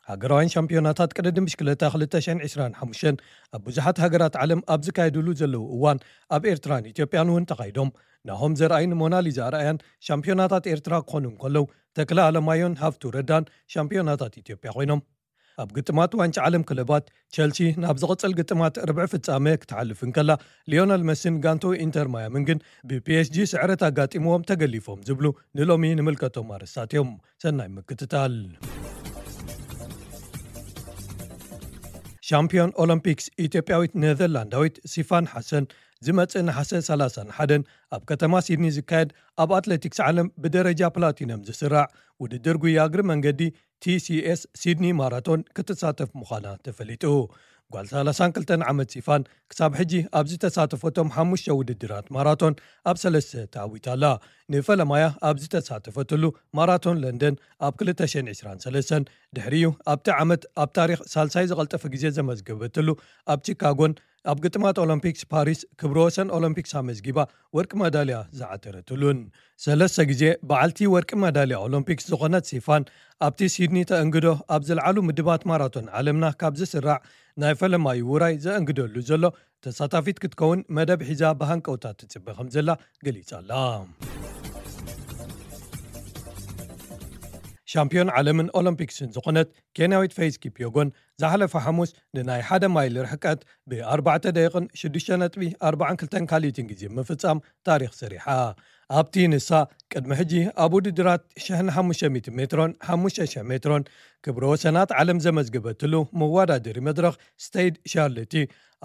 ሃገራውያን ሻምፒዮናታት ቅድድም ብሽክለታ ክልተ ሽሕን ዕስራን ሓሙሽተን ኣብ ብዙሓት ሃገራት ዓለም ኣብ ዝካየድሉ ዘለዉ እዋን ኣብ ኤርትራን ኢትዮጵያን እውን ተኻይዶም። ናሆም ዘርኣይን ሞናሊዛ ኣርኣያን ሻምፒዮናታት ኤርትራ ክኾኑ እንከለዉ፣ ተክለ ኣለማዮን ሃፍቱ ረዳን ሻምፒዮናታት ኢትዮጵያ ኮይኖም። ኣብ ግጥማት ዋንጫ ዓለም ክለባት፣ ቸልሲ ናብ ዝቕጽል ግጥማት ርብዒ ፍጻመ ክትሓልፍ እንከላ፣ ሊዮነል መሲን ጋንቶ ኢንተር ማያምን ግን ብፒኤስጂ ስዕረት ኣጋጢምዎም ተገሊፎም ዝብሉ ንሎሚ ንምልከቶም ኣርእስታት እዮም። ሰናይ ምክትታል። ሻምፒዮን ኦሎምፒክስ ኢትዮጵያዊት ኔዘርላንዳዊት ሲፋን ሓሰን ዝመጽእ ነሓሰ ሰላሳን ሓደን ኣብ ከተማ ሲድኒ ዝካየድ ኣብ ኣትሌቲክስ ዓለም ብደረጃ ፕላቲነም ዝስራዕ ውድድር ጉያ እግሪ መንገዲ ቲሲኤስ ሲድኒ ማራቶን ክትሳተፍ ምዃና ተፈሊጡ። ጓል ሰላሳን ክልተን ዓመት ሲፋን ክሳብ ሕጂ ኣብ ዝተሳተፈቶም ሓሙሽተ ውድድራት ማራቶን ኣብ ሰለስተ ተዓዊታ ኣላ። ንፈለማያ ኣብ ዝተሳተፈትሉ ማራቶን ለንደን ኣብ ክልተ ሽሕን ዕስራን ሰለስተን፣ ድሕሪኡ ኣብቲ ዓመት ኣብ ታሪኽ ሳልሳይ ዝቐልጠፈ ግዜ ዘመዝገበትሉ ኣብ ቺካጎን ኣብ ግጥማት ኦሎምፒክስ ፓሪስ ክብረ ወሰን ኦሎምፒክስ ኣመዝጊባ ወርቂ መዳልያ ዝዓተረትሉን፣ ሰለስተ ግዜ በዓልቲ ወርቂ መዳልያ ኦሎምፒክስ ዝኾነት ሲፋን፣ ኣብቲ ሲድኒ ተእንግዶ ኣብ ዝለዓሉ ምድባት ማራቶን ዓለምና ካብ ዝስራዕ ናይ ፈለማዩ ውራይ ዘእንግደሉ ዘሎ ተሳታፊት ክትከውን መደብ ሒዛ ብሃንቀውታ ትጽበ ከም ዘላ ገሊጻ ኣላ። ሻምፒዮን ዓለምን ኦሎምፒክስን ዝኾነት ኬንያዊት ፌዝ ኪፕዮጎን ዝሓለፈ ሓሙስ ንናይ ሓደ ማይል ርሕቀት ብ ኣርባዕተ ደቂቕን ሽዱሽተ ነጥቢ ኣርባዓን ክልተን ካልኢትን ግዜ ምፍጻም ታሪኽ ሰሪሓ። ኣብቲ ንሳ ቅድሚ ሕጂ ኣብ ውድድራት ሽሕን ሓሙሽተ ሚእትን ሜትሮን ሓሙሽተ ሽሕ ሜትሮን ክብረ ወሰናት ዓለም ዘመዝገበትሉ መወዳደሪ መድረኽ ስቴድ ሻርለቲ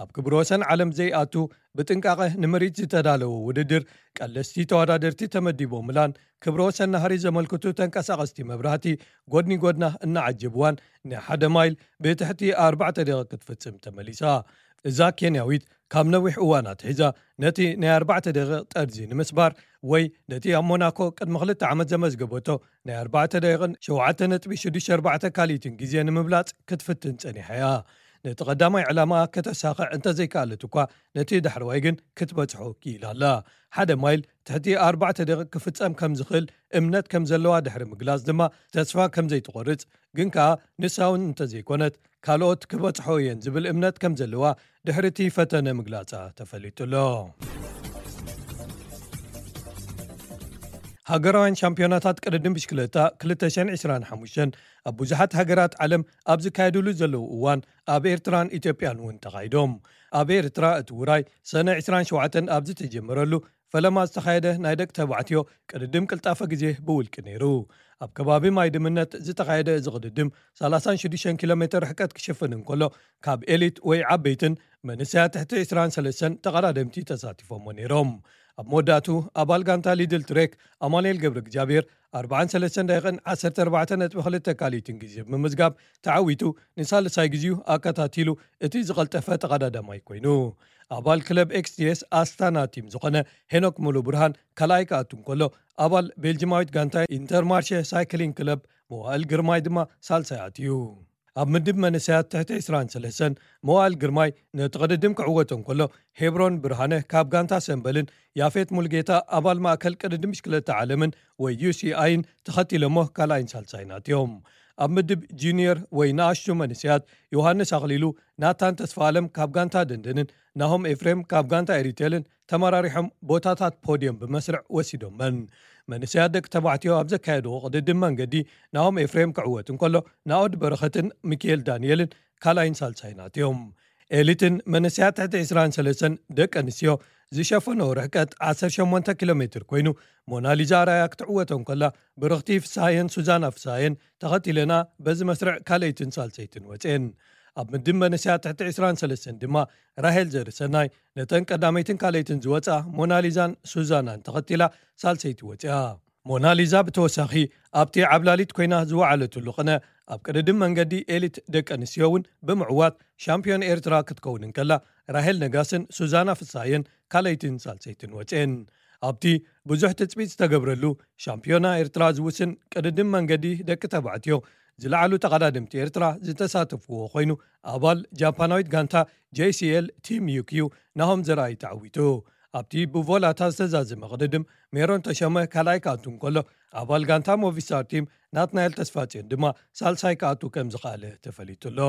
ኣብ ክብረ ወሰን ዓለም ዘይኣቱ ብጥንቃቐ ንምርኢት ዝተዳለወ ውድድር ቀለስቲ ተወዳደርቲ ተመዲቦምላን ክብረ ወሰን ናህሪ ዘመልክቱ ተንቀሳቐስቲ መብራህቲ ጎድኒ ጎድና እናዓጀብዋን ንሓደ ማይል ብትሕቲ ኣርባዕተ ደቂቕ ክትፍጽም ተመሊሳ። እዛ ኬንያዊት ካብ ነዊሕ እዋን ኣትሒዛ ነቲ ናይ ኣርባዕተ ደቂቕ ጠርዚ ንምስባር ወይ ነቲ ኣብ ሞናኮ ቅድሚ ክልተ ዓመት ዘመዝገበቶ ናይ ኣርባዕተ ደቂቕን ሸውዓተ ነጥቢ ሽዱሽተ ኣርባዕተ ካልኢትን ግዜ ንምብላጽ ክትፍትን ጸኒሓ እያ። ነቲ ቀዳማይ ዕላማኣ ከተሳኽዕ እንተዘይከኣለት እኳ ነቲ ዳሕረዋይ ግን ክትበጽሖ ክኢላ ኣላ። ሓደ ማይል ትሕቲ ኣርባዕተ ደቂቕ ክፍጸም ከም ዝኽእል እምነት ከም ዘለዋ ድሕሪ ምግላጽ ድማ ተስፋ ከም ዘይትቖርጽ ግን ከኣ ንሳ እውን እንተዘይኮነት ካልኦት ክበጽሖ እየን ዝብል እምነት ከም ዘለዋ ድሕሪ እቲ ፈተነ ምግላጻ ተፈሊጡ ኣሎ። ሃገራውያን ሻምፒዮናታት ቅድድም ብሽክለታ ክልተ ሽሕን ዕስራን ሓሙሽተን ኣብ ብዙሓት ሃገራት ዓለም ኣብ ዝካየድሉ ዘለዉ እዋን ኣብ ኤርትራን ኢትዮጵያን እውን ተኻይዶም። ኣብ ኤርትራ እቲ ውራይ ሰነ ዕስራን ሸውዓተን ኣብ ዝተጀመረሉ ፈለማ ዝተኻየደ ናይ ደቂ ተባዕትዮ ቅድድም ቅልጣፈ ግዜ ብውልቂ ነይሩ። ኣብ ከባቢ ማይ ድምነት ዝተኻየደ እዚ ቅድድም ሰላሳን ሽዱሽተን ኪሎ ሜትር ርሕቀት ክሽፍን እንከሎ ካብ ኤሊት ወይ ዓበይትን መንእሰያት ትሕቲ ዕስራን ሰለስተን ተቐዳደምቲ ተሳቲፎሞ ነይሮም። ኣብ መወዳእቱ ኣባል ጋንታ ሊድል ትሬክ ኣማኑኤል ገብረ እግዚኣብሔር ኣርባዓን ሰለስተን ደቂቕን ዓሰርተ ኣርባዕተ ነጥቢ ክልተ ካልኢትን ግዜ ብምምዝጋብ ተዓዊቱ ንሳልሳይ ግዜኡ ኣከታቲሉ እቲ ዝቐልጠፈ ተቐዳዳማይ ኮይኑ። ኣባል ክለብ ኤክስቲኤስ ኣስታና ቲም ዝኾነ ሄኖክ ሙሉ ብርሃን ካልኣይ ክኣቱ እንከሎ፣ ኣባል ቤልጂማዊት ጋንታ ኢንተርማርሸ ሳይክሊንግ ክለብ መዋእል ግርማይ ድማ ሳልሳይ ኣትዩ። ኣብ ምድብ መንእሰያት ትሕቲ ዕስራን ሰለስተን መዋእል ግርማይ ነቲ ቅድድም ክዕወቶ እንከሎ፣ ሄብሮን ብርሃነ ካብ ጋንታ ሰምበልን ያፌት ሙልጌታ ኣባል ማእከል ቅድድም ብሽክለታ ዓለምን ወይ ዩ ሲ ኣይን ተኸቲሎሞ ካልኣይን ሳልሳይን ኣትዮም። ኣብ ምድብ ጁኒየር ወይ ንኣሽቱ መንእሰያት ዮሃንስ ኣኽሊሉ፣ ናታን ተስፋ ኣለም ካብ ጋንታ ደንደንን ናሆም ኤፍሬም ካብ ጋንታ ኤሪቴልን ተመራሪሖም ቦታታት ፖድዮም ብመስርዕ ወሲዶመን። መንእሰያት ደቂ ተባዕትዮ ኣብ ዘካየድዎ ቅድድም መንገዲ ናሆም ኤፍሬም ክዕወት እንከሎ፣ ናኦድ በረኸትን ሚካኤል ዳንኤልን ካልኣይን ሳልሳይን ኣትዮም። ኤሊትን መንእሰያት ትሕቲ ዕስራን ሰለስተን ደቂ ኣንስትዮ ዝሸፈኖ ርሕቀት ዓሰርተ ሸሞንተ ኪሎ ሜትር ኮይኑ፣ ሞናሊዛ ኣርኣያ ክትዕወቶ እንከላ፣ ብርኽቲ ፍስሃየን ሱዛና ፍስሃየን ተኸቲለና በዚ መስርዕ ካልኣይትን ሳልሰይትን ወፅኤን። ኣብ ምድብ መንእሰያት ትሕቲ ዕስራን ሰለስተን ድማ ራሄል ዘርሰናይ ነተን ቀዳመይትን ካልኣይትን ዝወፅኣ ሞናሊዛን ሱዛናን ተኸቲላ ሳልሰይቲ ወፅኣ። ሞናሊዛ ብተወሳኺ ኣብቲ ዓብላሊት ኮይና ዝወዓለትሉ ቅነ ኣብ ቅድድም መንገዲ ኤሊት ደቂ ኣንስትዮ እውን ብምዕዋት ሻምፒዮን ኤርትራ ክትከውን እንከላ፣ ራሄል ነጋስን ሱዛና ፍስሃየን ካልኣይትን ሳልሰይትን ወፅኤን። ኣብቲ ብዙሕ ትጽቢት ዝተገብረሉ ሻምፒዮና ኤርትራ ዝውስን ቅድድም መንገዲ ደቂ ተባዕትዮ ዝለዓሉ ተቐዳደምቲ ኤርትራ ዝተሳተፍዎ ኮይኑ፣ ኣባል ጃፓናዊት ጋንታ ጄ ሲ ኤል ቲም ዩ ኪው ናሆም ዘርኣይ ተዓዊቱ። ኣብቲ ብቮላታ ዝተዛዘመ ቅድድም ሜሮን ተሸመ ካልኣይ ክኣቱ እንከሎ፣ ኣባል ጋንታ ሞቪስታር ቲም ናትናኤል ተስፋጽዮን ድማ ሳልሳይ ክኣቱ ከም ዝኸኣለ ተፈሊጡ ኣሎ።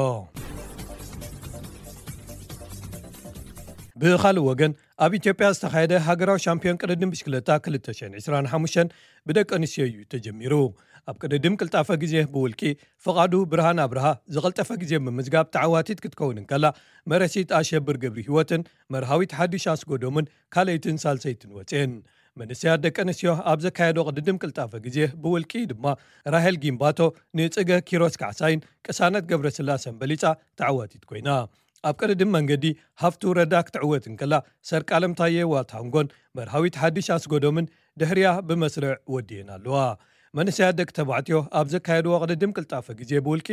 ብኻልእ ወገን፣ ኣብ ኢትዮጵያ ዝተኻየደ ሃገራዊ ሻምፒዮን ቅድድም ብሽክለታ ክልተ ሽሕን ዕስራን ሓሙሽተን ብደቂ ኣንስትዮ እዩ ተጀሚሩ። ኣብ ቅድድም ቅልጣፈ ግዜ ብውልቂ፣ ፍቓዱ ብርሃን ኣብርሃ ዝቐልጠፈ ግዜ ብምዝጋብ ተዓዋቲት ክትከውን እንከላ፣ መረሲት ኣሸብር ገብሪ ህይወትን መርሃዊት ሓድሽ ኣስጎዶምን ካልኣይትን ሳልሰይትን ወፅኤን። መንእሰያት ደቂ ኣንስትዮ ኣብ ዘካየዶ ቅድድም ቅልጣፈ ግዜ ብውልቂ ድማ፣ ራሄል ጊምባቶ ንጽገ ኪሮስ ካሕሳይን ቅሳነት ገብረስላሰን በሊጻ ተዓዋቲት ኮይና። ኣብ ቅድድም መንገዲ ሃፍቱ ረዳ ክትዕወት እንከላ፣ ሰርቃለም ታየ ዋታንጎን መርሃዊት ሓድሽ ኣስጎዶምን ድሕሪያ ብመስርዕ ወዲየን ኣለዋ። መንእሰያት ደቂ ተባዕትዮ ኣብ ዘካየድዎ ቅድድም ቅልጣፈ ግዜ ብውልቂ፣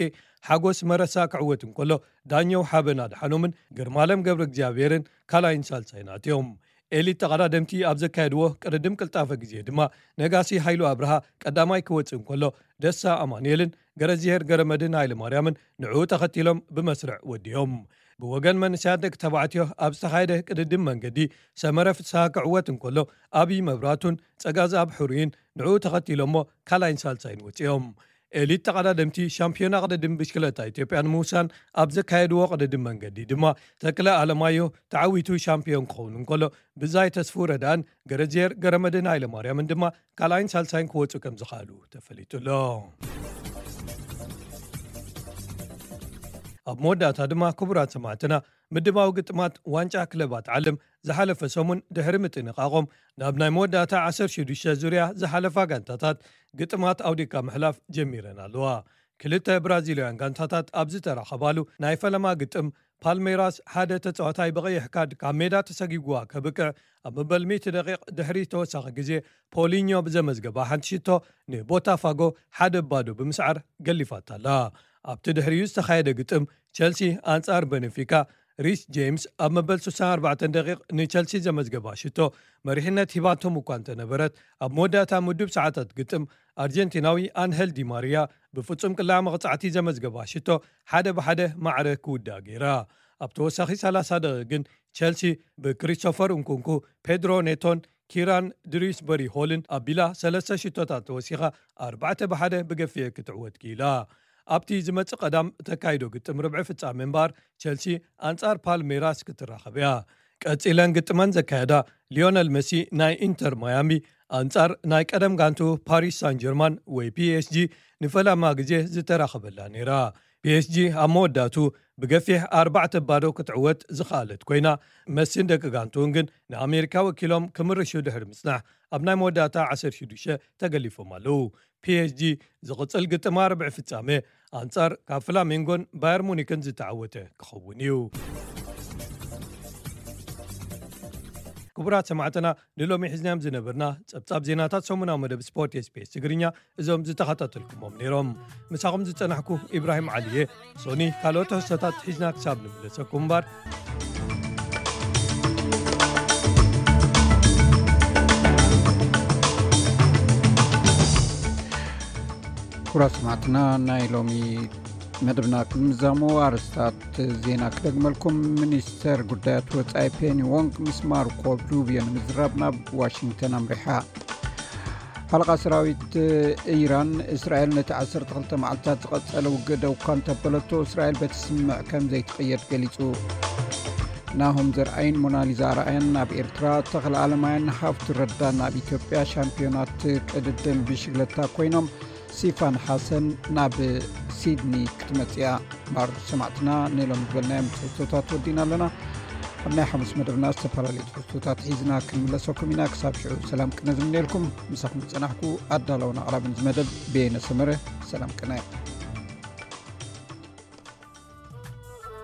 ሓጎስ መረሳ ክዕወት እንከሎ፣ ዳኘው ሓበን ኣድሓኖምን ግርማለም ገብረ እግዚኣብሔርን ካልኣይን ሳልሳይን ኣትዮም። ኤሊት ተቐዳደምቲ ኣብ ዘካየድዎ ቅድድም ቅልጣፈ ግዜ ድማ፣ ነጋሲ ሃይሉ ኣብርሃ ቀዳማይ ክወጽእ እንከሎ፣ ደሳ ኣማኑኤልን ገረዝሄር ገረመድህን ሃይለማርያምን ንዕኡ ተኸቲሎም ብመስርዕ ወዲዮም። ብወገን መንእሰያት ደቂ ተባዕትዮ ኣብ ዝተኻየደ ቅድድም መንገዲ፣ ሰመረ ፍስሃ ክዕወት እንከሎ፣ ኣብይ መብራቱን ጸጋዝኣብ ሕሩይን ንዕኡ ተኸቲሎሞ ካልኣይን ሳልሳይን ወጺኦም። ኤሊት ተቐዳደምቲ ሻምፒዮና ቅድድም ብሽክለታ ኢትዮጵያ ንምውሳን ኣብ ዘካየድዎ ቅድድም መንገዲ ድማ፣ ተክለ ኣለማዮ ተዓዊቱ ሻምፒዮን ክኸውን እንከሎ፣ ብዛይ ተስፉ ረዳን ገረዝየር ገረመድህን ሃይለማርያምን ድማ ካልኣይን ሳልሳይን ክወጹ ከም ዝኸኣሉ ተፈሊጡ ኣሎ። ኣብ መወዳእታ ድማ፣ ክቡራት ሰማዕትና፣ ምድባዊ ግጥማት ዋንጫ ክለባት ዓለም ዝሓለፈ ሰሙን ድሕሪ ምጥንቓቖም፣ ናብ ናይ መወዳእታ ዓሰርተ ሽዱሽተ ዙርያ ዝሓለፋ ጋንታታት ግጥማት ኣውዲቕካ ምሕላፍ ጀሚረን ኣለዋ። ክልተ ብራዚላውያን ጋንታታት ኣብ ዝተራኸባሉ ናይ ፈለማ ግጥም፣ ፓልሜራስ ሓደ ተጻዋታይ ብቐይሕ ካርድ ካብ ሜዳ ተሰጊግዋ ከብቅዕ፣ ኣብ መበል ሚእቲ ደቂቕ ድሕሪ ተወሳኺ ግዜ፣ ፖሊኞ ብዘመዝገባ ሓንቲ ሽቶ ንቦታፋጎ ሓደ ባዶ ብምስዓር ገሊፋታ ኣላ። ኣብቲ ድሕሪኡ ዝተኻየደ ግጥም፣ ቸልሲ ኣንጻር በነፊካ፣ ሪስ ጄምስ ኣብ መበል ስሳን ኣርባዕተን ደቂቕ ንቸልሲ ዘመዝገባ ሽቶ፣ መሪሕነት ሂባቶም እኳ እንተነበረት፣ ኣብ መወዳእታ ምዱብ ሰዓታት ግጥም፣ ኣርጀንቲናዊ ኣንሄል ዲ ማሪያ ብፍጹም ቅላዕ መቕጻዕቲ ዘመዝገባ ሽቶ፣ ሓደ ብሓደ ማዕረ ክውዳእ ገይራ። ኣብ ተወሳኺ ሰላሳ ደቂቕ ግን፣ ቸልሲ ብክሪስቶፈር እንኩንኩ፣ ፔድሮ ኔቶን ኪራን ድሪስበሪ ሆልን ኣቢላ ሰለስተ ሽቶታት ተወሲኻ፣ ኣርባዕተ ብሓደ ብገፊሕ ክትዕወት ክኢላ። ኣብቲ ዝመጽእ ቀዳም እተካይዶ ግጥም ርብዒ ፍጻሜ እምበኣር፣ ቸልሲ ኣንጻር ፓልሜራስ ክትራኸብ እያ። ቀጺለን ግጥመን ዘካየዳ፣ ሊዮነል መሲ ናይ ኢንተር ማያሚ ኣንጻር ናይ ቀደም ጋንቱ ፓሪስ ሳን ጀርማን ወይ ፒ ኤስ ጂ ንፈላማ ግዜ ዝተራኸበላ ነይራ። ፒ ኤስ ጂ ኣብ መወዳእቱ ብገፊሕ ኣርባዕተ ባዶ ክትዕወት ዝኸኣለት ኮይና፣ መሲን ደቂ ጋንቱን ግን ንኣሜሪካ ወኪሎም ክምርሹ ድሕሪ ምጽናሕ፣ ኣብ ናይ መወዳእታ ዓሰርተ ሽዱሽተ ተገሊፎም ኣለዉ። ፒ ኤስ ጂ ዝቕጽል ግጥማ ርብዒ ፍጻሜ ኣንጻር ካብ ፍላሜንጎን ባየር ሙኒክን ዝተዓወተ ክኸውን እዩ። ክቡራት ሰማዕትና፣ ንሎሚ ሒዝናዮም ዝነበርና ጸብጻብ ዜናታት ሰሙናዊ መደብ ስፖርት ኤስቢኤስ ትግርኛ እዞም ዝተኸታተልኩሞም ነይሮም። ምሳኹም ዝጸናሕኩ ኢብራሂም ዓሊየ። ሶኒ ካልኦት ትሕዝቶታት ሒዝና ክሳብ ንምለሰኩም እምበር። ክቡራት ሰማዕትና፣ ናይ ሎሚ መደብና ክምዛሙ ኣርእስታት ዜና ክደግመልኩም። ሚኒስተር ጉዳያት ወጻኢ ፔኒ ዎንግ ምስ ማርኮ ሩቢዮ ንምዝራብ ናብ ዋሽንግተን ኣምሪሓ። ሓለቓ ሰራዊት ኢራን፣ እስራኤል ነቲ ዓሰርተ ክልተ መዓልታት ዝቐጸለ ውግእ ደው እኳ እንተበለቶ፣ እስራኤል በቲ ስምምዕ ከም ዘይትቕየድ ገሊጹ። ናሆም ዘርኣይን ሞናሊዛ ኣርኣያን ናብ ኤርትራ፣ ተኽለ ኣለማያን ሃፍቱ ረዳን ኣብ ኢትዮጵያ ሻምፒዮናት ቅድድም ብሽግለታ ኮይኖም፣ ሲፋን ሓሰን ናብ ሲድኒ ክትመጽእ እያ። እምበር ሰማዕትና፣ ንሎም ዝበልናዮም ትሕዝቶታት ወዲና ኣለና። ኣብ ናይ ሓሙስ መደብና ዝተፈላለዩ ትሕዝቶታት ሒዝና ክንምለሰኩም ኢና። ክሳብ ሽዑ ሰላም ቅነ ዝምነየልኩም። ምሳኹም ዝጸናሕኩ ኣዳላውን ኣቕራብን ዝመደብ በየነ ሰመረ። ሰላም ቅነ።